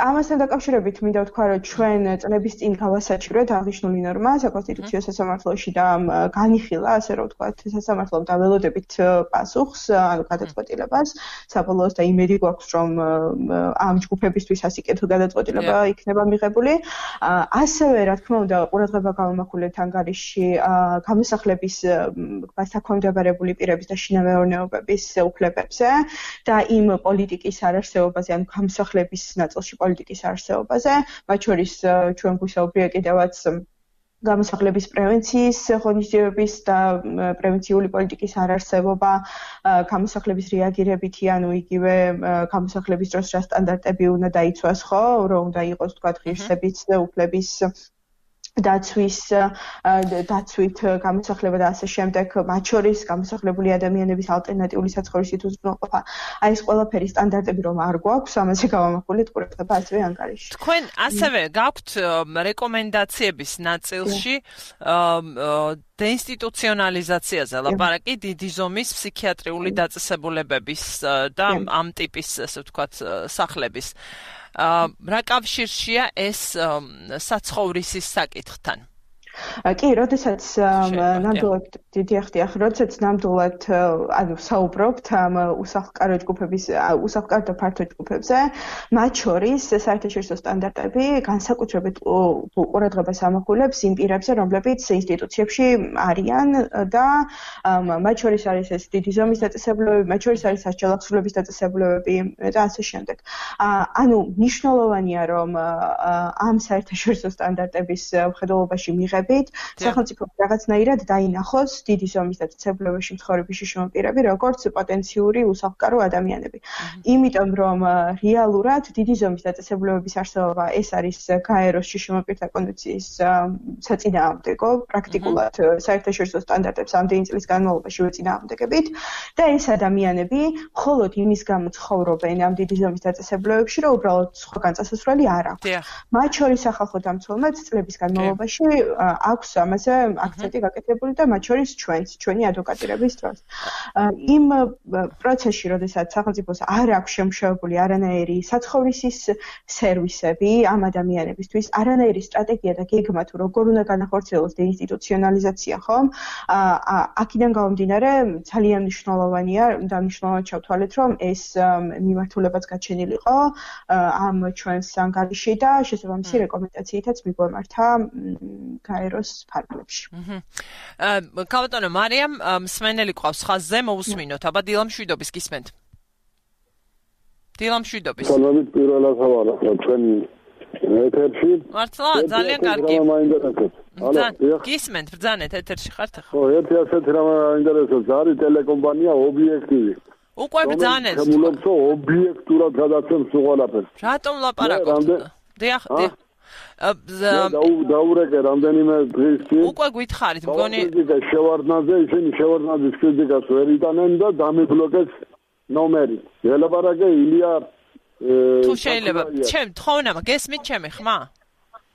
ამასთან დაკავშირებით მინდა ვთქვა, რომ ჩვენ წლების წინ გავასაჩივრეთ აღნიშნული ნორმა საკონსტიტუციო სასამართლოში და განიხილა, ასე რომ ვთქვათ, სასამართლომ დაველოდებით პასუხს, ანუ გადაწყვეტილებას, საბოლოოდ და იმედი გვაქვს, რომ ამ ჯგუფებისთვის ასიკეთო გადაწყვეტილება იქნება მიღებული. ასევე, რა თქმა უნდა, ყურადღება გავამახვილეთ ანგარიშში გამოსახლების საქვემდებარებული პირების და შინამეურნეობის უფლებებზე და იმ პოლიტიკის არარსეობაზე, ანუ გამოსახლების ნაწილში პოლიტიკის არარსეობაზე, მათ შორის ჩვენ გვისაუბრია კიდევაც გამოსახლების პრევენციის ღონისძიებების და პრევენციული პოლიტიკის არარსებობა, გამოსახლების რეაგირებითი, ანუ იგივე გამოსახლების დროს რა სტანდარტები უნდა დაიცვას, ხო, რომ უნდა იყოს თქვა ღირსების უფლების დაცვის დაცვით გამოსახლება და ასე შემდეგ, მათ შორის გამოსახლებული ადამიანების ალტერნატიული საცხოვრისით უზრუნველყოფა. აი ეს ყველაფერი სტანდარტები რომ არ გვაქვს, ამაზე გავამახვილეთ ყურადღება ასევე ანგარიშში. თქვენ ასევე გაქვთ რეკომენდაციების ნაწილში დეინსტიტუციონალიზაციაზე ლაპარაკი დიდი ზომის ფსიქიატრიული დაწესებულებების და ამ ტიპის, ასე ვთქვათ, სახლების. რა კავშირშია ეს საცხოვრისის საკითხთან? კი, როდესაც ნამდვილად დიახ, დიახ, როდესაც ნამდვილად ანუ საუბრობთ ამ უსახლკარო ჯგუფების, უსახლკარო და ფართო ჯგუფებზე, მათ შორის საერთაშორისო სტანდარტები განსაკუთრებით ყურადღებას ამახვილებს იმ პირებზე, რომლებიც ინსტიტუციებში არიან და მათ შორის არის ეს დიდი ზომის დაწესებულებები, მათ შორის არის სასჯელახსრულების დაწესებულებები და ასე შემდეგ. ანუ მნიშვნელოვანია, რომ ამ საერთაშორისო სტანდარტების მხედველობაში მიღებით სახელმწიფო რაღაცნაირად დაინახოს დიდი ზომის დაწესებულებაში მცხოვრები შიშმა პირები, როგორც პოტენციური უსახლკარო ადამიანები. იმიტომ რომ რეალურად დიდი ზომის დაწესებულებების არსებობა ეს არის გაეროს შიშმა პირთა კონვენციის საწინააღმდეგო, პრაქტიკულად საერთაშორისო სტანდარტებს ამდენი წლის განმავლობაში ვეწინააღმდეგებით და ეს ადამიანები მხოლოდ იმის გამო ცხოვრობენ ამ დიდი ზომის დაწესებულებებში, რომ უბრალოდ სხვაგან წასასვლელი არ აქვს. მათ შორის სახალხო დამცველმაც წლების განმავლობაში აქვს ამაზე აქცენტი გაკეთებული და მათ შორის ჩვენს, ჩვენი ადვოკატირების დროს. იმ პროცესში, როდესაც სახელმწიფოს არ აქვს შემუშავებული არანაირი საცხოვრისის სერვისები ამ ადამიანებისთვის, არანაირი სტრატეგია და გეგმა თუ როგორ უნდა განახორციელოს დეინსტიტუციონალიზაცია, ხომ? აქედან გამომდინარე, ძალიან მნიშვნელოვანია და მნიშვნელოვნად ჩავთვალეთ, რომ ეს მიმართულებაც გაჩენილიყო ამ ჩვენს ანგარიში და შესაბამისი რეკომენდაციითაც მიგვემართა გაეროს ფარგლებში. აჰა. კაბატონო მარიამ მსმენელი ყავს ხაზზე მოусმინოთ. აბა დილამშვიდობის გისმენთ. დილამშვიდობის. სალამით პირველად ხავარა ჩვენ ეთერში. მართლა ძალიან კარგი. გისმენთ ბრძანეთ ეთერში ხართ ახლა. ხო, ერთი ასეთი რამ აინტერესებს არის ტელეკომპანია ობიექტივი. უკვე ბრძანეთ. შემულობს ობიექტურად გადაცემს უყალაფერს. რატომ ლაპარაკობთ? დიახ, დიახ. დაურეკე რამდენიმე დღის წინ. უკვე გითხარით, მგონი შევარდნაძე, ისინი შევარდნაძის კრიტიკას ვერ იტანენ და დამიბლოკეს ნომერი. ელაპარაკე ილია თუ შეიძლება, ჩემ თხოვნა, გესმით ჩემი ხმა?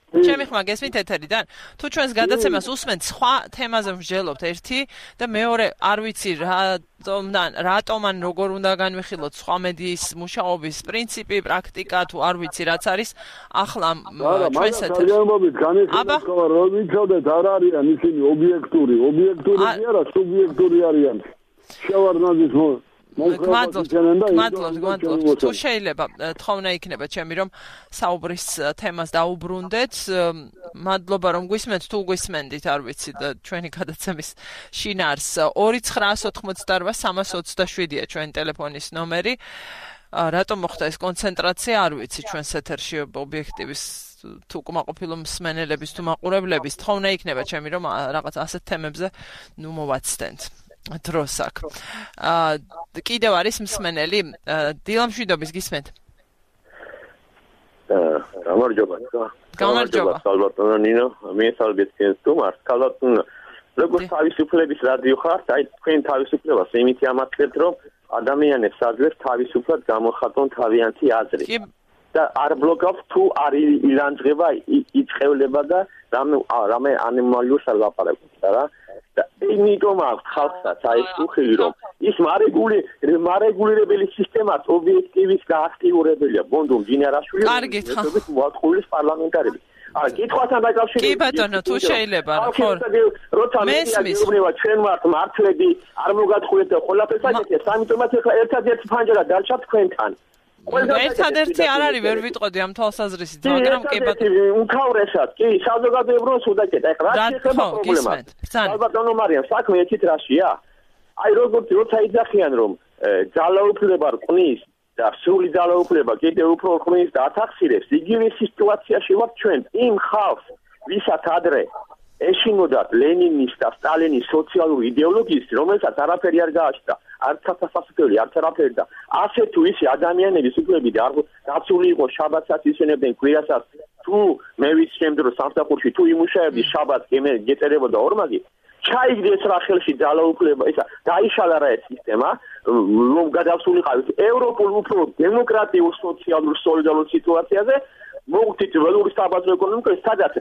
ჩემი ხმა გესმით ეთერიდან? თუ ჩვენს გადაცემას უსმენთ, სხვა თემაზე ვსჯელობთ ერთი და მეორე არ ვიცი რატომდან, რატომ ან როგორ უნდა განვიხილოთ სხვა მედიის მუშაობის პრინციპი, პრაქტიკა, თუ არ ვიცი რაც არის ახლა ჩვენს ეთერში. აბა, რომ ვიცოდეთ, არ არიან ისინი ობიექტური, ობიექტური კი არა, სუბიექტური არიან. შევარდნაძის გმადლობთ, გმადლობთ, გმადლობთ. თუ შეიძლება თხოვნა იქნება ჩემი რომ საუბრის თემას დაუბრუნდეთ. მადლობა რომ გვისმენთ, თუ გვისმენდით, არ ვიცი და ჩვენი გადაცემის შინაარს ორი ცხრა ოთხმოცდაოთხ სამას ოცდაშვიდია ჩვენი ტელეფონის ნომერი. რატომ მოხდა ეს კონცენტრაცია, არ ვიცი ჩვენს ეთერში ობიექტივის თუ კმაყოფილო მსმენელების თუ მაყურებლების თხოვნა იქნება ჩემი რომ რაღაც ასეთ თემებზე ნუ მოვაცდენთ. დროს აქ. აა კიდევ არის მსმენელი დილამშვიდობის გისმენთ. აა გამარჯობა. გამარჯობა. კალბატონო ნინო, მე სალბეთკენ სტუმარ. კალბატონო, როგორც თავისუფლების რადიო ხართ, აი თქვენ თავისუფლებას იმით ამატლებთ, რომ ადამიანებს აძლევთ თავისუფლად გამოხატონ თავიანთი აზრი. და არ ბლოკავს თუ არ ილანძღება იწევლება და რამე რამე ანიმალიურს არ ლაპარაკობს რა. და იმიტომ აქვს ხალხსაც აი ეს უხილი რომ ის მარეგული მარეგულირებელი სისტემაც ობიექტივის გააქტიურებელია ბონდუმ ჯინერაშვილი ეს მოაწყვილის პარლამენტარები აი კითხვასთან დაკავშირებით კი ბატონო თუ შეიძლება ხო როცა მეუბნება ჩვენ ვართ მართლები არ მოგატყუეთ და ყველაფერს აკეთეთ ამიტომაც ახლა ერთადერთი ფანჯარა დარჩა თქვენთან ერთადერთი არ არის ვერ ვიტყოდი ამ თვალსაზრისით მაგრამ კი ბატონო უმთავრესად კი საზოგადოებრივ სუდაკეთ ახლა რა შეიძლება პრობლემა ალბათონო მარიამ საქმე ეცით რაშია აი როგორც როცა იძახიან რომ ძალაუფლება რყნის და სრული ძალაუფლება კიდევ უფრო რყნის და ათახსირებს იგივე სიტუაციაში ვართ ჩვენ იმ ხალხს ვისაც ადრე ეშინოდათ ლენინის და სტალინის სოციალური იდეოლოგიის რომელსაც არაფერი არ გააჩნდა არც საფასებელი არც არაფერი და ასე თუ ისი ადამიანების უფლებები და დაცული იყო შაბათსაც ისენებდნენ კვირასაც თუ მე ვიცი შემდრო სამსახურში თუ იმუშავებდი შაბათს გეწერებოდა ორმაგი ჩაიგდეს რა ხელში ძალაუფლება ისა დაიშალა რა ეს სისტემა რომ გადავსულიყავით ევროპულ უფრო დემოკრატიულ სოციალურ სოლიდარულ სიტუაციაზე მოგთით ველური საბაზრო ეკონომიკა სადაც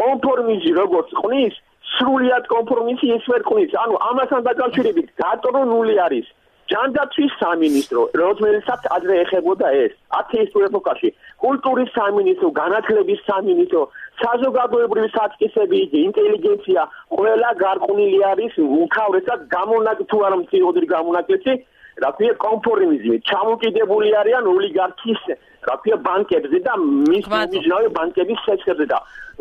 კონფორმიზმი როგორც ყნის სრულად კონფორმიზმი ეს ვერ ყნის ანუ ამასთან დაკავშირებით გატრონული არის ჯანდაცვის სამინისტრო რომელსაც ადრე ეხებოდა ეს ათეისტურ ეპოქაში კულტურის სამინისტრო განათლების სამინისტრო საზოგადოებრივი საწყისები ინტელიგენცია ყველა გარყვნილი არის უმთავრესად გამონაკ თუ არ მწიოდრი გამონაკლისი რა ქვია კონფორმიზმი ჩამოკიდებული არიან ოლიგარქის რა ქვია ბანკებზე და მის მიჯნავე ბანკების სექტორზე და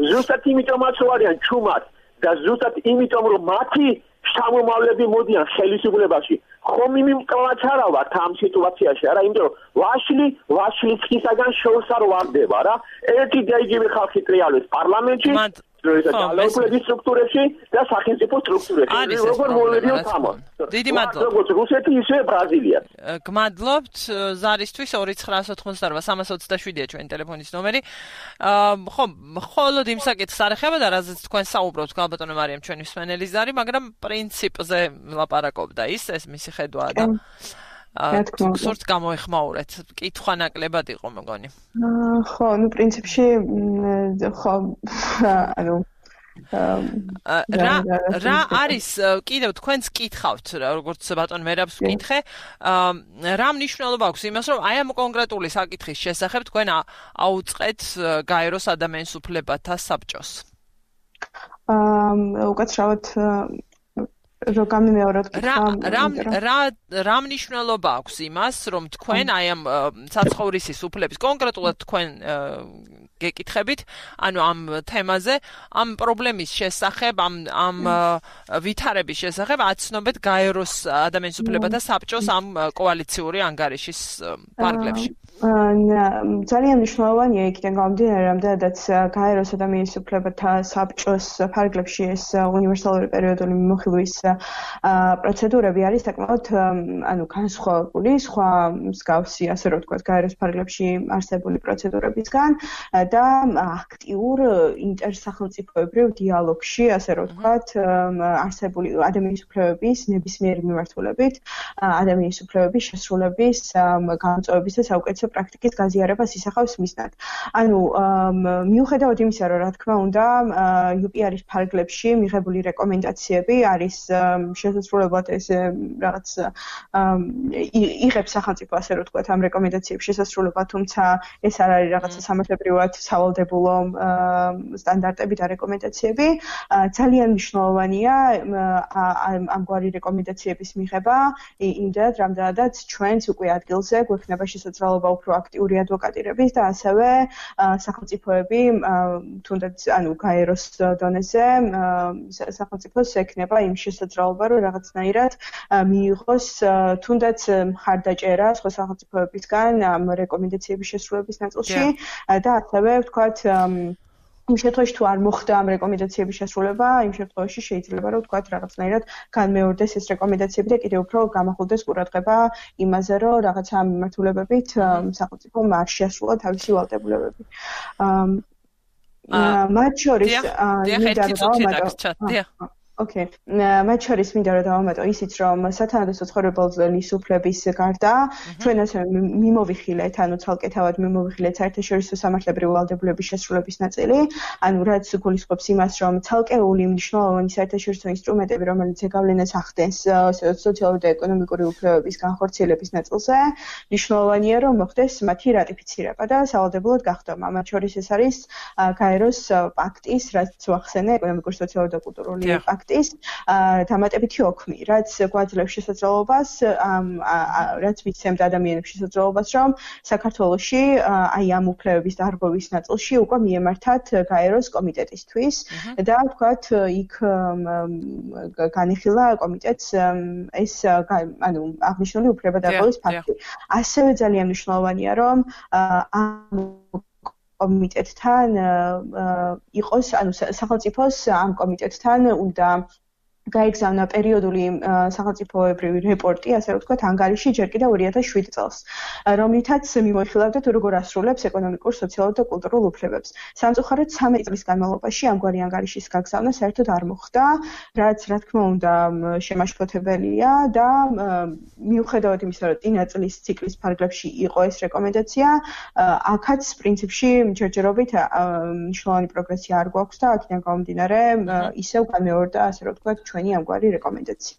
ზუსტად იმიტომაც რომ არიან ჩუმად და ზუსტად იმიტომ რომ მათი შთამომავლები მოდიან ხელისუფლებაში ხომ იმკლავაც არა ვართ ამ სიტუაციაში არა იმიტომ რომ ვაშლი ვაშლისგან შორს არ ვარდება რა ერთი და იგივე ხალხი ტრიალებს პარლამენტში ძალაუფლების სტრუქტურებში და სახელმწიფო სტრუქტურებში როგორ მოვიდიო თამონ დიდი მადლობა როგორც რუსეთი ისე ბრაზილია გმადლობთ ზარისთვის ორი ცხრა ოთხმოცდაოთხ სამას ოცდაშვიდია ჩვენი ტელეფონის ნომერი ხო მხოლოდ იმ საკითხს არ ეხება და რაზეც თქვენ საუბრობთ გალბატონო მარიამ ჩვენი მსმენელი ზარი მაგრამ პრინციპზე ვლაპარაკობდა ის ეს მისი ხედვაა და სურთ გამოეხმაურეთ. კითხვა ნაკლებად იყო მეგონი. ხო, ну, პრინციპში ხო, ანუ რა რა არის კიდევ თქვენს კითხავთ, როგორც ბატონ მერაბს ვკითხე, რა მნიშვნელობა აქვს იმას, რომ აი ამ კონკრეტული საკითხის შესახებ თქვენ აუწყეთ გაეროს ადამიანის უფლებათა საბჭოს? აა, უკაცრავად რო გამიმეოროთ რა რა რა მნიშვნელობა აქვს იმას, რომ თქვენ აი ამ საცხოვრისის უფლების კონკრეტულად თქვენ გეკითხებით, ანუ ამ თემაზე, ამ პრობლემის შესახებ, ამ ამ ვითარების შესახებ აცნობეთ გაეროს ადამიანის უფლებათა საბჭოს ამ კოალიციური ანგარიშის ფარგლებში. ძალიან მნიშვნელოვანია იქიდან გამომდინარე, რამდენადაც გაეროს ადამიანის უფლებათა საბჭოს ფარგლებში ეს უნივერსალური პერიოდული მიმოხილვის პროცედურები არის საკმაოდ ანუ განსხვავებული სხვა მსგავსი, ასე რომ ვთქვათ, გაეროს ფარგლებში არსებული პროცედურებისგან და აქტიურ ინტერსახელმწიფოებრივ დიალოგში, ასე რომ ვთქვათ, არსებული ადამიანის უფლებების ნებისმიერი მიმართულებით, ადამიანის უფლებების შესრულების გამოწვევების და საუკეთესო პრაქტიკის გაზიარებას ისახავს მისნად. ანუ მიუხედავად იმისა, რომ რა თქმა უნდა, იუ პი არ-ის ფარგლებში მიღებული რეკომენდაციები არის შესაძლებლად ეს რაღაც იღებს სახელმწიფო, ასე რომ ვთქვათ, ამ რეკომენდაციების შესასრულებლად, თუმცა ეს არ არის რაღაცა სამართლებრივად სავალდებულო სტანდარტები და რეკომენდაციები. ძალიან მნიშვნელოვანია ამგვარი რეკომენდაციების მიღება იმდენად, რამდენადაც ჩვენც უკვე ადგილზე გვექნება შესაძლებლობა უფრო აქტიური ადვოკატირების და ასევე სახელმწიფოები თუნდაც ანუ გაეროს დონეზე სახელმწიფოს ექნება იმ შესაძლებლობა, რომ რაღაცნაირად მიიღოს თუნდაც მხარდაჭერა სხვა სახელმწიფოებისგან ამ რეკომენდაციების შესრულების ნაწილში და ასევე ვთქვათ იმ შემთხვევაში თუ არ მოხდა ამ რეკომენდაციების შესრულება, იმ შემთხვევაში შეიძლება რომ ვთქვათ რაღაცნაირად განმეორდეს ეს რეკომენდაციები და კიდევ უფრო გამახვილდეს ყურადღება იმაზე, რომ რაღაცა მიმართულებებით სახელმწიფომ არ შეასრულა თავისი ვალდებულებები. მათ შორის Okay. მათ შორის მინდა რომ დავამატო ისიც, რომ სათანადო საცხოვრებელის უფლების გარდა ჩვენ ასე მიმოვიხილეთ, ანუ ცალკე თავად მიმოვიხილეთ საერთაშორისო სამართლებრივი ვალდებულების შესრულების ნაწილი, ანუ რაც გულისხმობს იმას, რომ ცალკეული მნიშვნელოვანი საერთაშორისო ინსტრუმენტები, რომელიც ზეგავლენას ახდენს სოციალური და ეკონომიკური უფლებების განხორციელების ნაწილზე, მნიშვნელოვანია რომ მოხდეს მათი რატიფიცირება და სავალდებულოდ გახდომა. მათ შორის ეს არის გაეროს პაქტის, რაც ვახსენე, ეკონომიკური, სოციალური და კულტურული პაქტი ის დამატებითი ოქმი, რაც გვაძლევს შესაძლებლობას, რაც მიცემთ ადამიანებს შესაძლებლობას, რომ საქართველოში აი ამ უფლებების დარღვევის ნაწილში უკვე მიემართათ გაეროს კომიტეტისთვის და ვთქვათ, იქ განიხილა კომიტეტს ეს ანუ აღნიშნული უფლება დარღვევის ფაქტი. ასევე ძალიან მნიშვნელოვანია, რომ ამ კომიტეტთან იყოს, ანუ სახელმწიფოს ამ კომიტეტთან უნდა გაიგზავნა პერიოდული სახელმწიფოებრივი რეპორტი, ასე რომ ვთქვათ, ანგარიში ჯერ კიდევ ორი ათას შვიდი წელს, რომლითაც მიმოიხილავდა თუ როგორ ასრულებს ეკონომიკურ, სოციალურ და კულტურულ უფლებებს. სამწუხაროდ ცამეტი წლის განმავლობაში ამგვარი ანგარიშის გაგზავნა საერთოდ არ მოხდა, რაც რა თქმა უნდა შემაშფოთებელია და მიუხედავად იმისა, რომ წინა წლის ციკლის ფარგლებში იყო ეს რეკომენდაცია, აქაც პრინციპში ჯერჯერობით მნიშვნელოვანი პროგრესი არ გვაქვს და აქედან გამომდინარე ისევ გამეორდა, ასე რომ ვთქვათ, ჩვენი ამგვარი რეკომენდაცია.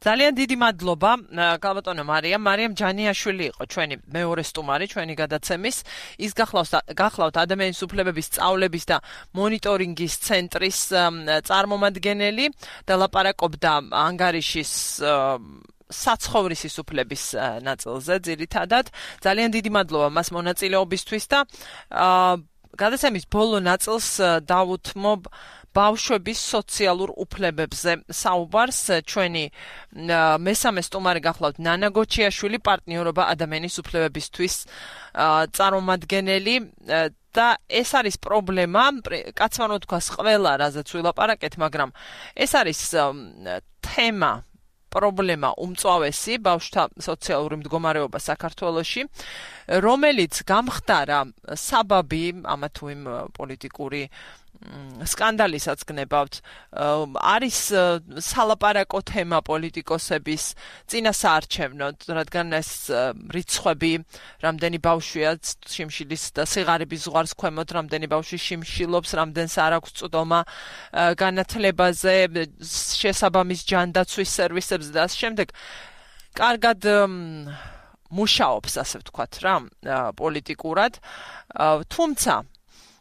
ძალიან დიდი მადლობა გალბატონო მარიამ. მარიამ ჯანიაშვილი იყო ჩვენი მეორე სტუმარი ჩვენი გადაცემის. ის გახლავთ ადამიანის უფლებების სწავლების და მონიტორინგის ცენტრის წარმომადგენელი და ლაპარაკობდა ანგარიშის საცხოვრისის უფლების ნაწილზე ძირითადად. ძალიან დიდი მადლობა მას მონაწილეობისთვის და გადაცემის ბოლო ნაწილს დავუთმობ ბავშვების სოციალურ უფლებებზე საუბარს. ჩვენი მესამე სტუმარი გახლავთ ნანა გოჩიაშვილი, პარტნიორობა ადამიანის უფლებებისთვის წარმომადგენელი და ეს არის პრობლემა, კაცმანო თქვას ყველა რაზეც ვილაპარაკეთ, მაგრამ ეს არის თემა პრობლემა უმწვავესი ბავშვთა სოციალური მდგომარეობა საქართველოში, რომელიც გამხდარა საბაბი ამა თუ იმ პოლიტიკური სკანდალისაც გნებავთ, არის სალაპარაკო თემა პოლიტიკოსების წინასაარჩევნოდ, რადგან ეს რიცხვები, რამდენი ბავშვია შიმშილის და სიღარიბის ზღვარს ქვემოთ, რამდენი ბავშვი შიმშილობს, რამდენს არ აქვს წვდომა განათლებაზე, შესაბამის ჯანდაცვის სერვისებზე და ასე შემდეგ. კარგად მუშაობს, ასე ვთქვათ რა, პოლიტიკურად, თუმცა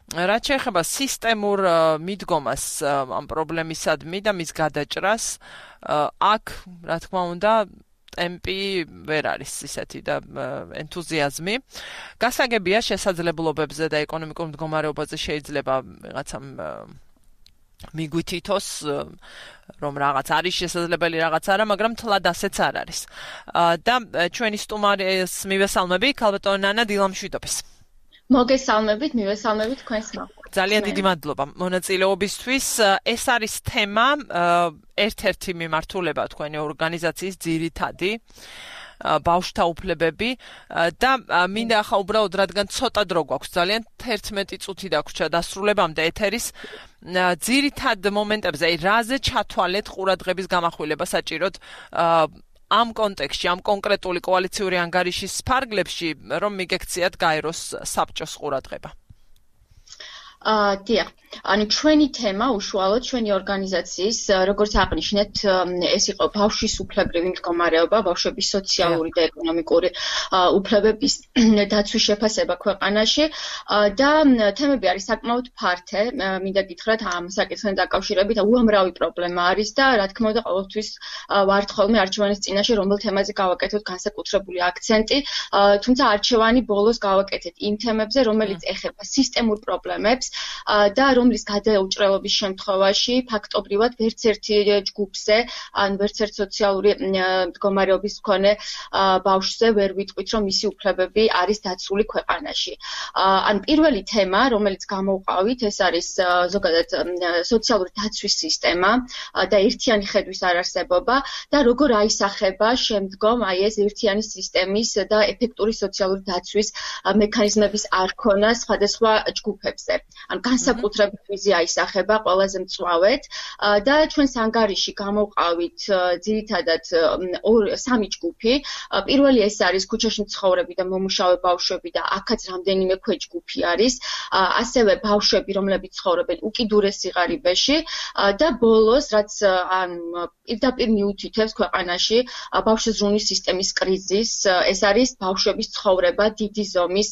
რაც შეეხება სისტემურ მიდგომას ამ პრობლემისადმი და მის გადაჭრას, აქ, რა თქმა უნდა, ტემპი ვერ არის ისეთი და ენთუზიაზმი. გასაგებია შესაძლებლობებზე და ეკონომიკურ მდგომარეობაზე შეიძლება რაღაცა მიგვითითოს რომ რაღაც არის შესაძლებელი რაღაც არა, მაგრამ თლად ასეც არ არის. და ჩვენი სტუმარის მივესალმები, ქალბატონი ნანა დილამშვიდობის. მოგესალმებით, მივესალმებით თქვენს მოხდით. ძალიან დიდი მადლობა მონაწილეობისთვის. ეს არის თემა, ერთ-ერთი მიმართულება თქვენი ორგანიზაციის ძირითადი ბავშვთა უფლებები და მინდა ახლა უბრალოდ რადგან ცოტა დრო გვაქვს, ძალიან თერთმეტი წუთი დაგვრჩა დასრულებამდე ეთერის ძირითად მომენტებზე, აი რაზე ჩათვალეთ ყურადღების გამახვილება საჭიროდ ამ კონტექსტში, ამ კონკრეტული კოალიციური ანგარიშის ფარგლებში, რომ მიგექციათ გაეროს საბჭოს ყურადღება. აა დიახ, ანუ ჩვენი თემა უშუალოდ ჩვენი ორგანიზაციის, როგორც აღნიშნეთ, ეს იყო ბავშვის უფლებრივი მდგომარეობა, ბავშვების სოციალური და ეკონომიკური უფლებების დაცვის შეფასება ქვეყანაში და თემები არის საკმაოდ ფართე, მინდა გითხრათ ამ საკითხთან დაკავშირებით უამრავი პრობლემა არის და რა თქმა უნდა ყოველთვის ვართ ხოლმე არჩევანის წინაშე რომელ თემაზე გავაკეთოთ განსაკუთრებული აქცენტი, თუმცა არჩევანი ბოლოს გავაკეთეთ იმ თემებზე, რომელიც ეხება სისტემურ პრობლემებს და რომლის გადაუჭრელობის შემთხვევაში ფაქტობრივად ვერც ერთი ჯგუფზე, ან ვერც ერთ სოციალური მდგომარეობის მქონე ბავშვზე ვერ ვიტყვით, რომ მისი უფლებები არის დაცული ქვეყანაში. ან პირველი თემა, რომელიც გამოვყავით, ეს არის ზოგადად სოციალური დაცვის სისტემა და ერთიანი ხედვის არარსებობა და როგორ აისახება შემდგომ აი ეს ერთიანი სისტემის და ეფექტური სოციალური დაცვის მექანიზმების არქონა სხვადასხვა ჯგუფებზე. ან განსაკუთრებით ვიზია აისახება ყველაზე მწვავედ და ჩვენს ანგარიში გამოვყავით ძირითადად სამი ჯგუფი. პირველი ეს არის ქუჩაში მცხოვრები და მომუშავე ბავშვები და აქაც რამდენიმე ქვეჯგუფი არის. ასევე ბავშვები, რომლებიც ცხოვრობენ უკიდურეს სიღარიბეში და ბოლოს, რაც ან პირდაპირ მიუთითებს ქვეყანაში ბავშვთა ზრუნვის სისტემის კრიზისს, ეს არის ბავშვების ცხოვრება დიდი ზომის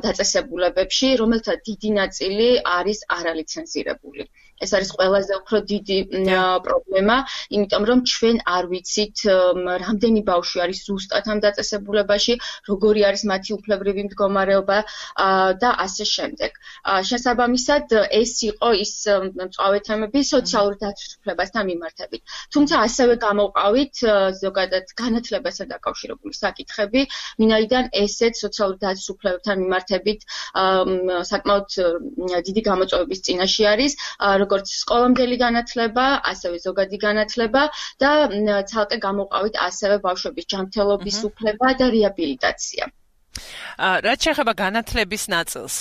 დაწესებულებებში, რომელთა დიდი ნაწილი არის არალიცენზირებული. ეს არის ყველაზე უფრო დიდი პრობლემა, იმიტომ რომ ჩვენ არ ვიცით რამდენი ბავშვი არის ზუსტად ამ დაწესებულებაში, როგორი არის მათი უფლებრივი მდგომარეობა და ასე შემდეგ. შესაბამისად, ეს იყო ის მწვავე თემები სოციალური დაცვის უფლებასთან მიმართებით. თუმცა ასევე გამოვყავით ზოგადად განათლებასთან დაკავშირებული საკითხები, ვინაიდან ესეც სოციალური დაცვის უფლებებთან მიმართებით საკმაოდ დიდი გამოწვევების წინაშე არის, როგორც სკოლამდელი განათლება, ასევე ზოგადი განათლება და ცალკე გამოვყავით ასევე ბავშვების ჯანმრთელობის უფლება და რეაბილიტაცია. რაც შეეხება განათლების ნაწილს,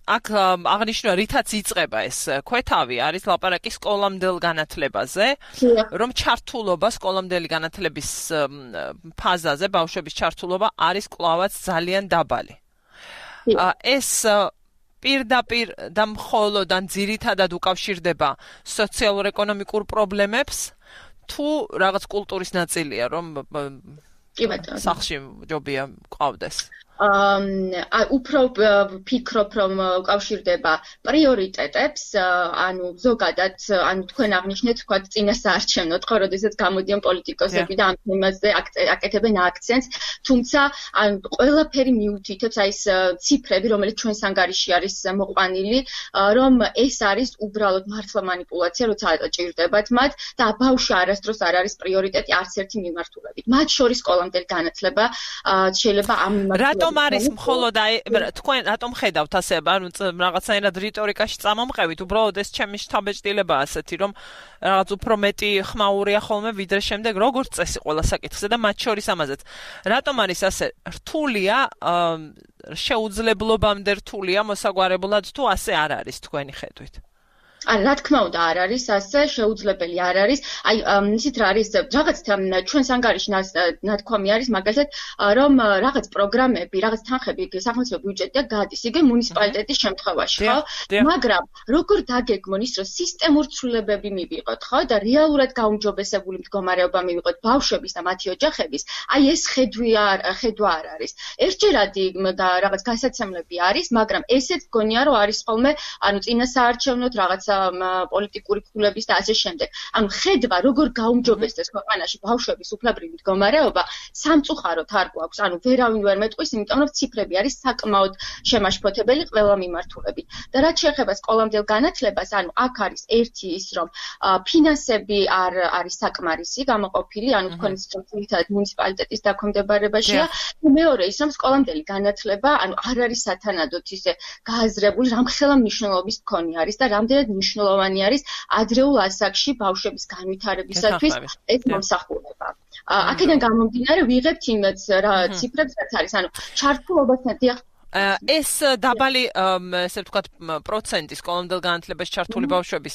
აქ აღნიშნვა რითაც იწყება ეს ქვეთავი არის ლაპარაკი სკოლამდელ განათლებაზე, რომ ჩართულობა სკოლამდელი განათლების ფაზაზე ბავშვების ჩართულობა არის კვლავაც ძალიან დაბალი. ეს პირდაპირ და მხოლოდ ან ძირითადად უკავშირდება სოციალურ-ეკონომიკურ პრობლემებს, თუ რაღაც კულტურის ნაწილია, რომ სახლში ჯობია ყავდეს. აა უფრო ვფიქრობ, რომ უკავშირდება პრიორიტეტებს, ანუ ზოგადად, ანუ თქვენ აღნიშნეთ, თქვა წინასაარჩევნოდ, ხო, როდესაც გამოდიან პოლიტიკოსები და ამ თემაზე აკეთებენ აქცენტს, თუმცა ანუ ყველაფერი მიუთითებს აი ეს ციფრები, რომელიც ჩვენს ანგარიში არის მოყვანილი, რომ ეს არის უბრალოდ მართლა манипуляცია, როცა ჭირდებათ მათ და ბავშვი არასდროს არ არის პრიორიტეტი არც ერთი მიმართულებით. მათ შორის სკოლამდელი განათლება შეიძლება ამ მიმართულებით რატომ არის მხოლოდ აი თქვენ რატომ ხედავთ ასე, ანუ რაღაცაირად რიტორიკაში წამომყევით, უბრალოდ ეს ჩემი შთაბეჭდილებაა ასეთი, რომ რაღაც უფრო მეტი ხმაურია ხოლმე ვიდრე შემდეგ როგორც წესი ყველა საკითხზე და მათ შორის ამაზეც. რატომ არის ასე რთულია, შეუძლებლობამდე რთულია მოსაგვარებლად თუ ასე არ არის თქვენი ხედვით? არა, რა თქმა უნდა არ არის ასე, შეუძლებელი არ არის. აი, ისიც რა არის, რაღაც ჩვენს ანგარიში ნათქვამი არის, მაგალითად, რომ რაღაც პროგრამები, რაღაც თანხები სახელმწიფო ბიუჯეტიდან გადის, იგი მუნიციპალიტეტის შემთხვევაში, ხო? მაგრამ როგორ დაგეგმონ ის, რომ სისტემურ ცვლილებები მივიღოთ, ხო? და რეალურად გაუმჯობესებული მდგომარეობა მივიღოთ ბავშვების და მათი ოჯახების, აი ეს ხედვი არ ხედვა არ არის. ერთჯერადი და რაღაც გასაცემლები არის, მაგრამ ესეც გონია, რომ არის ხოლმე, ანუ წინა საარჩევნოდ რაღაცა პოლიტიკური ქულების და ასე შემდეგ. ანუ ხედვა როგორ გაუმჯობესდეს ქვეყანაში ბავშვების უფლებრივი მდგომარეობა, სამწუხაროდ არ გვაქვს. ანუ ვერავინ ვერ მეტყვის, იმიტომ რომ ციფრები არის საკმაოდ შემაშფოთებელი ყველა მიმართულებით. და რაც შეეხება სკოლამდელ განათლებას, ანუ აქ არის ერთი ის, რომ ფინანსები არ არის საკმარისი გამოყოფილი, ანუ თქვენიც ძირითადად მუნიციპალიტეტის დაქვემდებარებაშია. მეორე ის, რომ სკოლამდელი განათლება, ანუ არ არის სათანადოდ ისე გააზრებული, რამხელა მნიშვნელობის მქონე არის და რამდენად მნიშვნელოვანი არის ადრეულ ასაკში ბავშვების განვითარებისათვის ეს მომსახურება. აქედან გამომდინარე ვიღებთ იმაც რა ციფრებს რაც არის, ანუ ჩართულობასთან დიახ ეს დაბალი ესე ვთქვათ პროცენტი სკოლამდელ განათლებაში ჩართული ბავშვების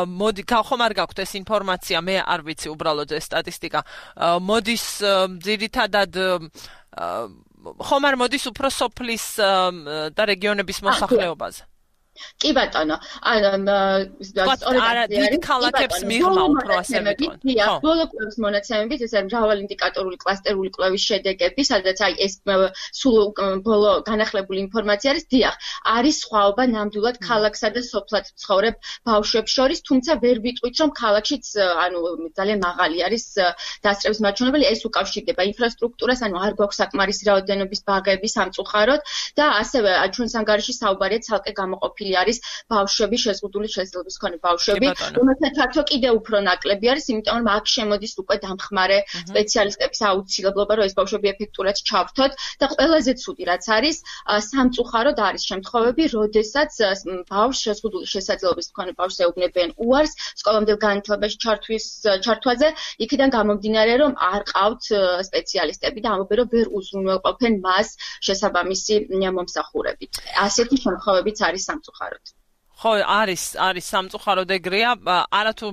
მოდი ხომ არ გაქვთ ეს ინფორმაცია, მე არ ვიცი უბრალოდ ეს სტატისტიკა მოდის ძირითადად ხომ არ მოდის უფრო სოფლის და რეგიონების მოსახლეობაზე? კი ბატონო, ანუ სწორედ დიდ ქალაქებს მიღმა უფრო ასე მეტყვი. ხო, ბოლო კვლევის მონაცემებით, ეს არის მრავალი ინდიკატორული კლასტერული კვლევის შედეგები, სადაც აი ეს სულ ბოლო განახლებული ინფორმაცია არის, დიახ, არის სხვაობა ნამდვილად ქალაქსა და სოფლად ცხოვრებ ბავშვებს შორის, თუმცა ვერ ვიტყვით, რომ ქალაქშიც ანუ ძალიან მაღალი არის დასწრების მაჩვენებელი, ეს უკავშირდება ინფრასტრუქტურას, ანუ არ გვაქვს საკმარისი რაოდენობის ბაღები სამწუხაროდ და ასევე ჩვენს ანგარიში საუბარია ცალკე გამოყოფილი არის ბავშვები, შეზღუდული შესაძლებლობის მქონე ბავშვები, რომელთა ჩართვა კიდევ უფრო ნაკლები არის, იმიტომ რომ აქ შემოდის უკვე დამხმარე სპეციალისტების აუცილებლობა, რომ ეს ბავშვები ეფექტურად ჩავრთოთ და ყველაზე ცუდი რაც არის, სამწუხაროდ არის შემთხვევები, როდესაც ბავშვს შეზღუდული შესაძლებლობის მქონე ბავშვს ეუბნებიან უარს სკოლამდელ განათლებაში ჩართვის ჩართვაზე, იქიდან გამომდინარე, რომ არ ყავთ სპეციალისტები და ამბობენ, რომ ვერ უზრუნველყოფენ მას შესაბამისი მომსახურებით. ასეთი შემთხვევებიც არის სამწუხაროდ. ხო, არის, არის სამწუხაროდ ეგრეა, არათუ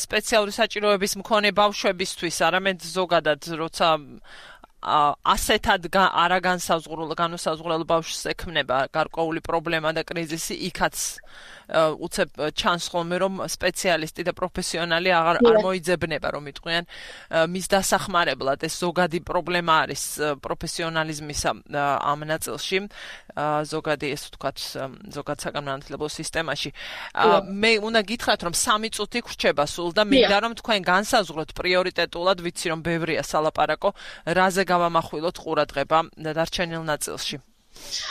სპეციალური საჭიროების მქონე ბავშვებისთვის, არამედ ზოგადად, როცა ასეთად არაგანსაზღვრულ განუსაზღვრელ ბავშვს ექმნება გარკვეული პრობლემა და კრიზისი, იქაც უცებ ჩანს ხოლმე, რომ სპეციალისტი და პროფესიონალი აღარ არ მოიძებნება, რომ იტყვიან მის დასახმარებლად. ეს ზოგადი პრობლემა არის პროფესიონალიზმისა ამ ნაწილში, ზოგადი ეს ვთქვათ, ზოგად საგანმანათლებლო სისტემაში. მე უნდა გითხრათ, რომ სამი წუთი გრჩება სულ და მინდა რომ თქვენ განსაზღვროთ პრიორიტეტულად, ვიცი რომ ბევრია სალაპარაკო, რაზე გავამახვილოთ ყურადღება დარჩენილ ნაწილში.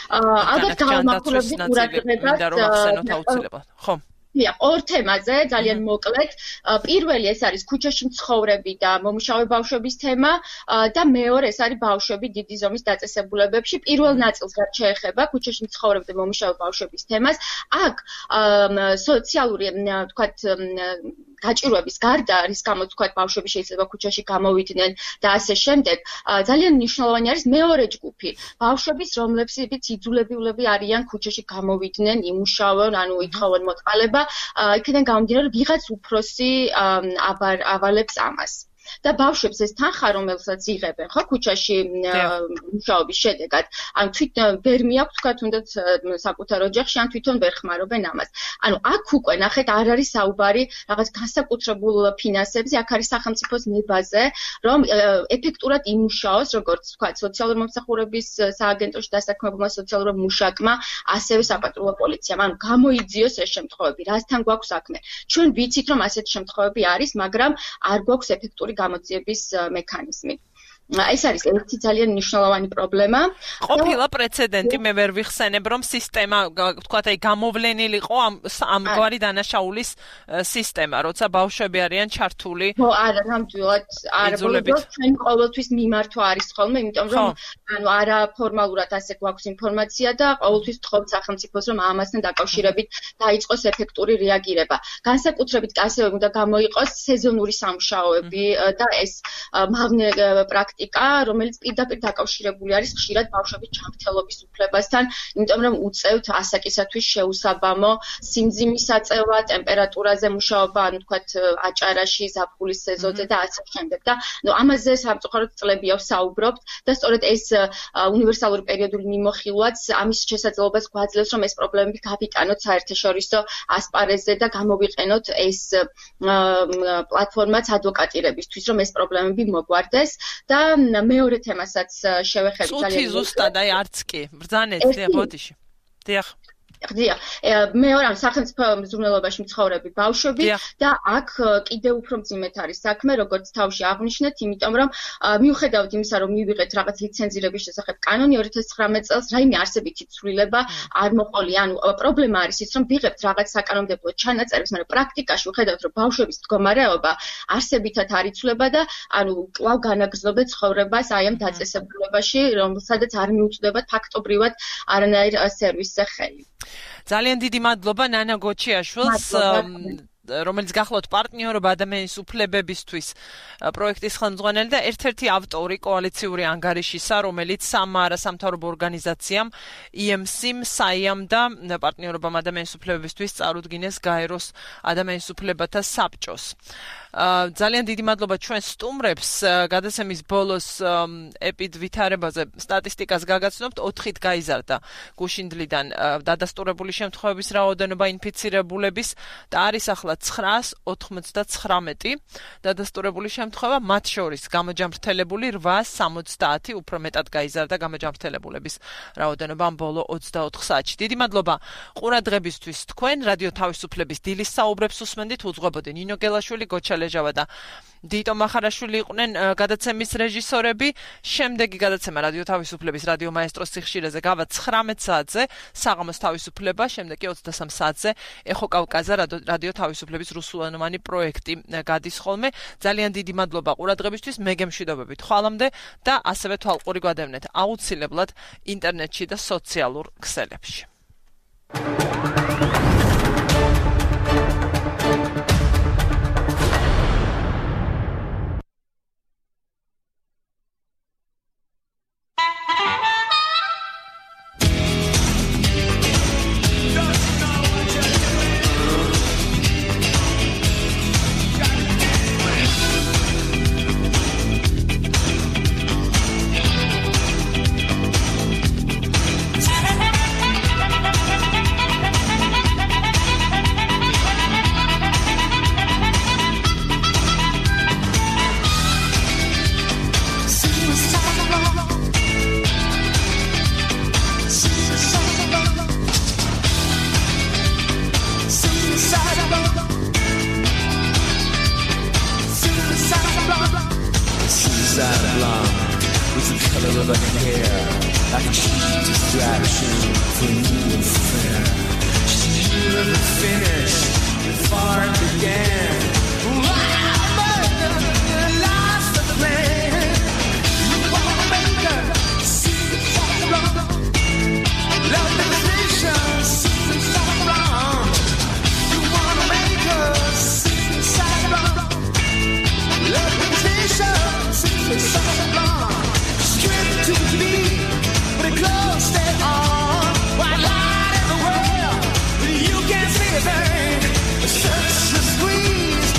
ალბათ გავამახვილებთ ყურადღებას. ხო. დიახ, ორ თემაზე ძალიან მოკლედ. პირველი ეს არის ქუჩაში მცხოვრები და მომუშავე ბავშვების თემა და მეორე ეს არის ბავშვები დიდი ზომის დაწესებულებებში. პირველ ნაწილს რაც შეეხება ქუჩაში მცხოვრები და მომუშავე ბავშვების თემას, აქ სოციალური, ვთქვათ, გაჭირვების გარდა, რის გამოც თქვა ბავშვები შეიძლება ქუჩაში გამოვიდნენ და ასე შემდეგ, ძალიან მნიშვნელოვანი არის მეორე ჯგუფი. ბავშვების, რომლებსაც იძულებულები არიან ქუჩაში გამოვიდნენ, იმუშაონ, ანუ ითხოვონ მოწყალება, იქიდან გამომდინარე, რომ ვიღაც უფროსი ავალებს ამას. და ბავშვებს ეს თანხა, რომელსაც იღებენ, ხო, ქუჩაში მუშაობის შედეგად, ან თვითონ ვერ მიაქვს, თქვა, თუნდაც საკუთარ ოჯახში, ან თვითონ ვერ ხმარობენ ამას. ანუ აქ უკვე ნახეთ, არ არის საუბარი რაღაც განსაკუთრებულ ფინანსებზე, აქ არის სახელმწიფოს ნებაზე, რომ ეფექტურად იმუშაოს, როგორც თქვა, სოციალური მომსახურების სააგენტოში დასაქმებულმა სოციალურ მუშაკმა, ასევე საპატრულო პოლიციამ. ანუ გამოიძიოს ეს შემთხვევები, რასთან გვაქვს საქმე. ჩვენ ვიცით, რომ ასეთი შემთხვევები არის, მაგრამ არ გვაქვს ეფექტური გამოძიების მექანიზმი. ეს არის ერთი ძალიან მნიშვნელოვანი პრობლემა. ყოფილა პრეცედენტი, მე ვერ ვიხსენებ, რომ სისტემა, თქვათ, აი გამოვლენილიყო ამ ამგვარი დანაშაულის სისტემა, როცა ბავშვები არიან ჩართული. ხო, არა, ნამდვილად, არა, ბოლოს ჩვენ ყოველთვის მიმართვა არის ხოლმე, იმიტომ რომ ანუ არა ფორმალურად ასე გვაქვს ინფორმაცია და ყოველთვის ვთხოვთ სახელმწიფოს, რომ ამასთან დაკავშირებით დაიწყოს ეფექტური რეაგირება. განსაკუთრებით ასევე უნდა გამოიყოს სეზონური სამუშაოები და ეს მავნე პრაქტიკა პრაქტიკა, რომელიც პირდაპირ დაკავშირებული არის ხშირად ბავშვების ჯანმრთელობის უფლებასთან, იმიტომ რომ უწევთ ასაკისათვის შეუსაბამო სიმძიმის აწევა, ტემპერატურაზე მუშაობა, ანუ თქვათ აჭარაში, ზაფხულის სეზონზე და ასე შემდეგ. და ნუ ამაზე სამწუხაროდ წლებია ვსაუბრობთ და სწორედ ეს უნივერსალური პერიოდული მიმოხილვაც ამის შესაძლებლობას გვაძლევს, რომ ეს პრობლემები გავიტანოთ საერთაშორისო ასპარეზზე და გამოვიყენოთ ეს პლატფორმაც ადვოკატირებისთვის, რომ ეს პრობლემები მოგვარდეს და მეორე თემასაც შევეხები ძალიან. წუთი ზუსტად, აი არც კი. ბრძანეთ, დიახ, ბოდიში. დიახ. დიახ, მეორე ამ სახელმწიფო მზრუნველობაში მცხოვრები ბავშვები და აქ კიდევ უფრო მძიმედ არის საქმე, როგორც თავში აღვნიშნეთ, იმიტომ რომ მიუხედავად იმისა, რომ მივიღეთ რაღაც ლიცენზირების შესახებ კანონი ორი ათას ცხრამეტ წელს, რაიმე არსებითი ცვლილება არ მოყოლია. ანუ პრობლემა არის ის, რომ ვიღებთ რაღაც საკანონმდებლო ჩანაწერებს, მაგრამ პრაქტიკაში ვხედავთ, რომ ბავშვების მდგომარეობა არსებითად არ იცვლება და ანუ კვლავ განაგრძობენ ცხოვრებას აი ამ დაწესებულებაში, რომელსაც არ მიუწვდებათ ფაქტობრივად არანაირ სერვისზე ხელი. ძალიან დიდი მადლობა ნანა გოჩიაშვილს, რომელიც გახლავთ პარტნიორობა ადამიანის უფლებებისთვის პროექტის ხელმძღვანელი და ერთ-ერთი ავტორი კოალიციური ანგარიშისა, რომელიც სამარა სამთავრობო ორგანიზაციამ ი ემ სი-მ, საიამ და პარტნიორობამ ადამიანის უფლებებისთვის წარუდგინეს გაეროს ადამიანის უფლებათა საბჭოს. ძალიან დიდი მადლობა ჩვენ სტუმრებს. გადაცემის ბოლოს ეპიდ ვითარებაზე სტატისტიკას გაგაცნობთ, ოთხით გაიზარდა გუშინდლიდან დადასტურებული შემთხვევების რაოდენობა ინფიცირებულების და არის ახლა ცხრაას ოცდათვრამეტი დადასტურებული შემთხვევა, მათ შორის გამოჯამრთელებული რვაას სამოცდაათი, უფრო მეტად გაიზარდა გამოჯამრთელებულების რაოდენობა ამ ბოლო ოცდაოთხ საათში. დიდი მადლობა ყურადღებისთვის. თქვენ რადიო თავისუფლების დილის საუბრებს უსმენდით, უძღვებოდი ნინო გელაშვილი, გოჩა ლეჟავა და დიტო მახარაშვილი იყვნენ გადაცემის რეჟისორები. შემდეგი გადაცემა რადიო თავისუფლების რადიო მაესტროს სიხშირეზე გავა ცხრამეტ საათზე, საღამოს თავისუფლება, შემდეგ კი ოცდასამ საათზე ეხო კავკაზა რადიო თავისუფლების რუსულენოვანი პროექტი გადის ხოლმე. ძალიან დიდი მადლობა ყურადღებისთვის, მე გემშვიდობებით ხვალამდე და ასევე თვალყური გვადევნეთ აუცილებლად ინტერნეტში და სოციალურ ქსელებში. Such a squeeze.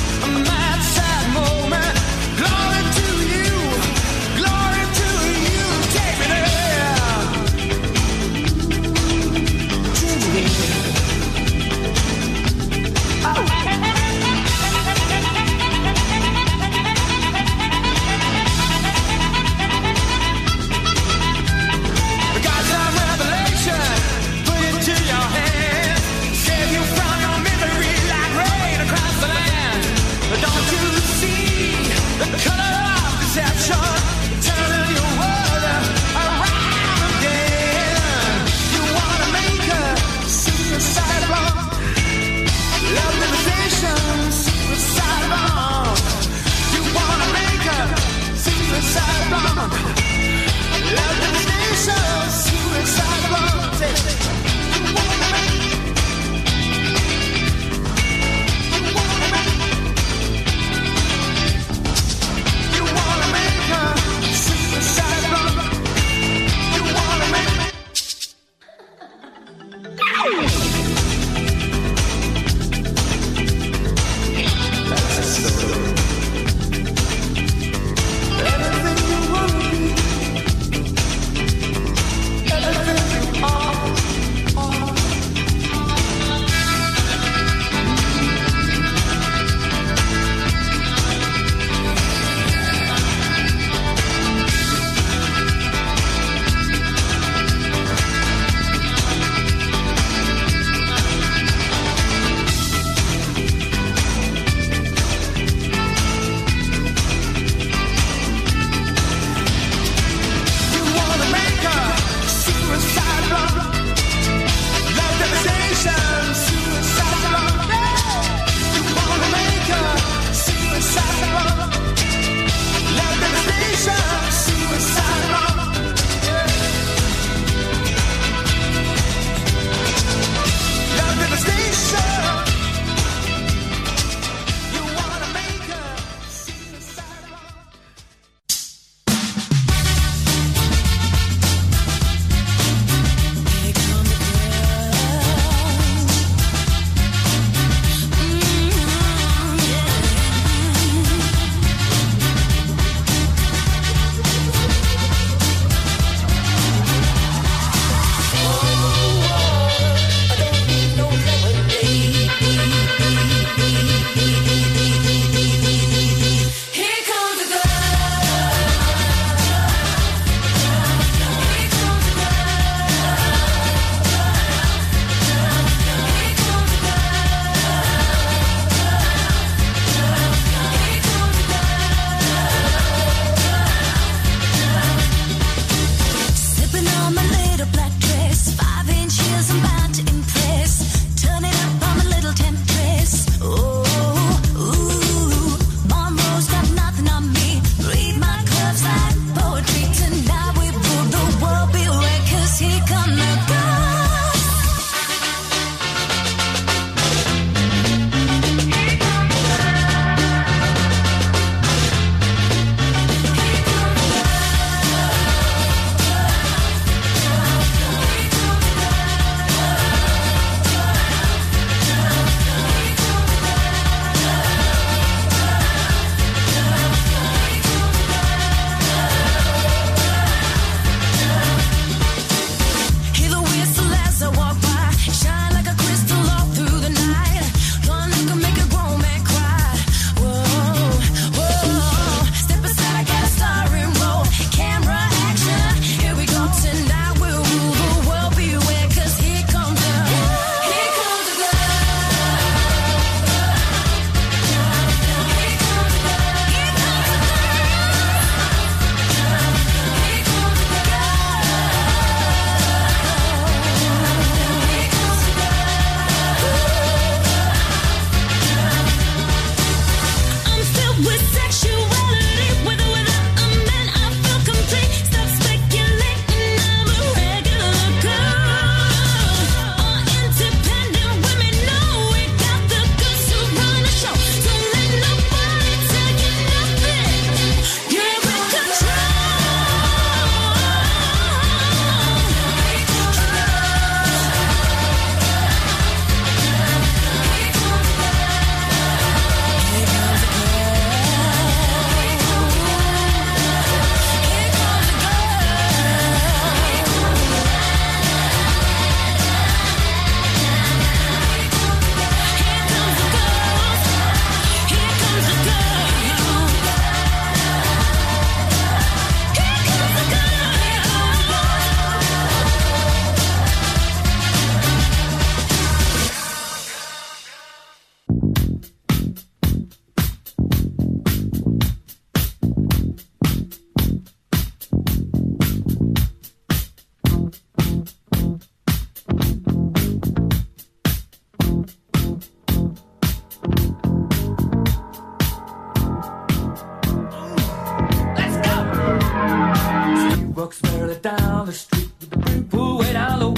Folks barely down the street with the brim pulled way down low.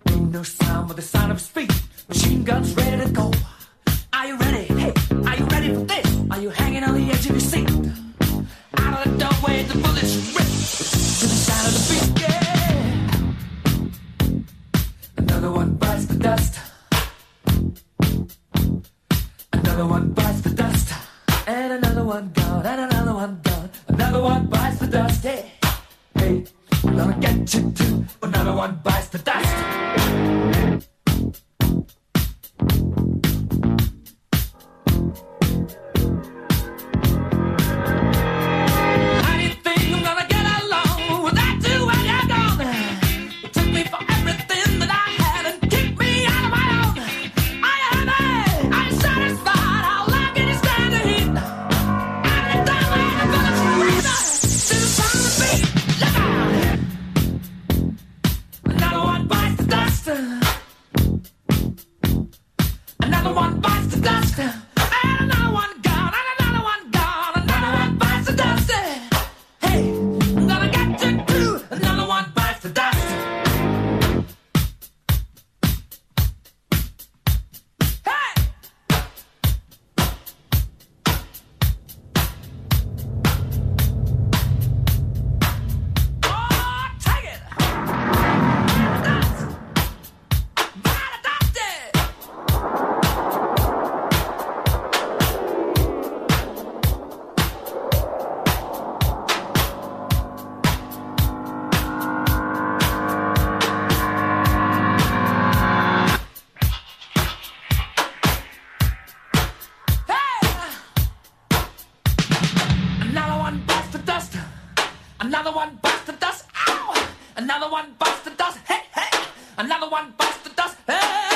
Ain't no sound but the sound of his feet. Machine guns ready to go. Are you ready? Hey, are you ready for this? Are you hanging on the edge of your seat? Out of the doorway, the bullets rip to the sound of the beat. Yeah. Another one bites the dust. Another one bites the dust. And another one gone. And another one gone. Another one bites the dust. Hey, hey, I'm gonna get you too. Another one bites the dust. Another one bites the dust. Ow! Another one bites the dust. Hey, hey! Another one bites the dust. Hey!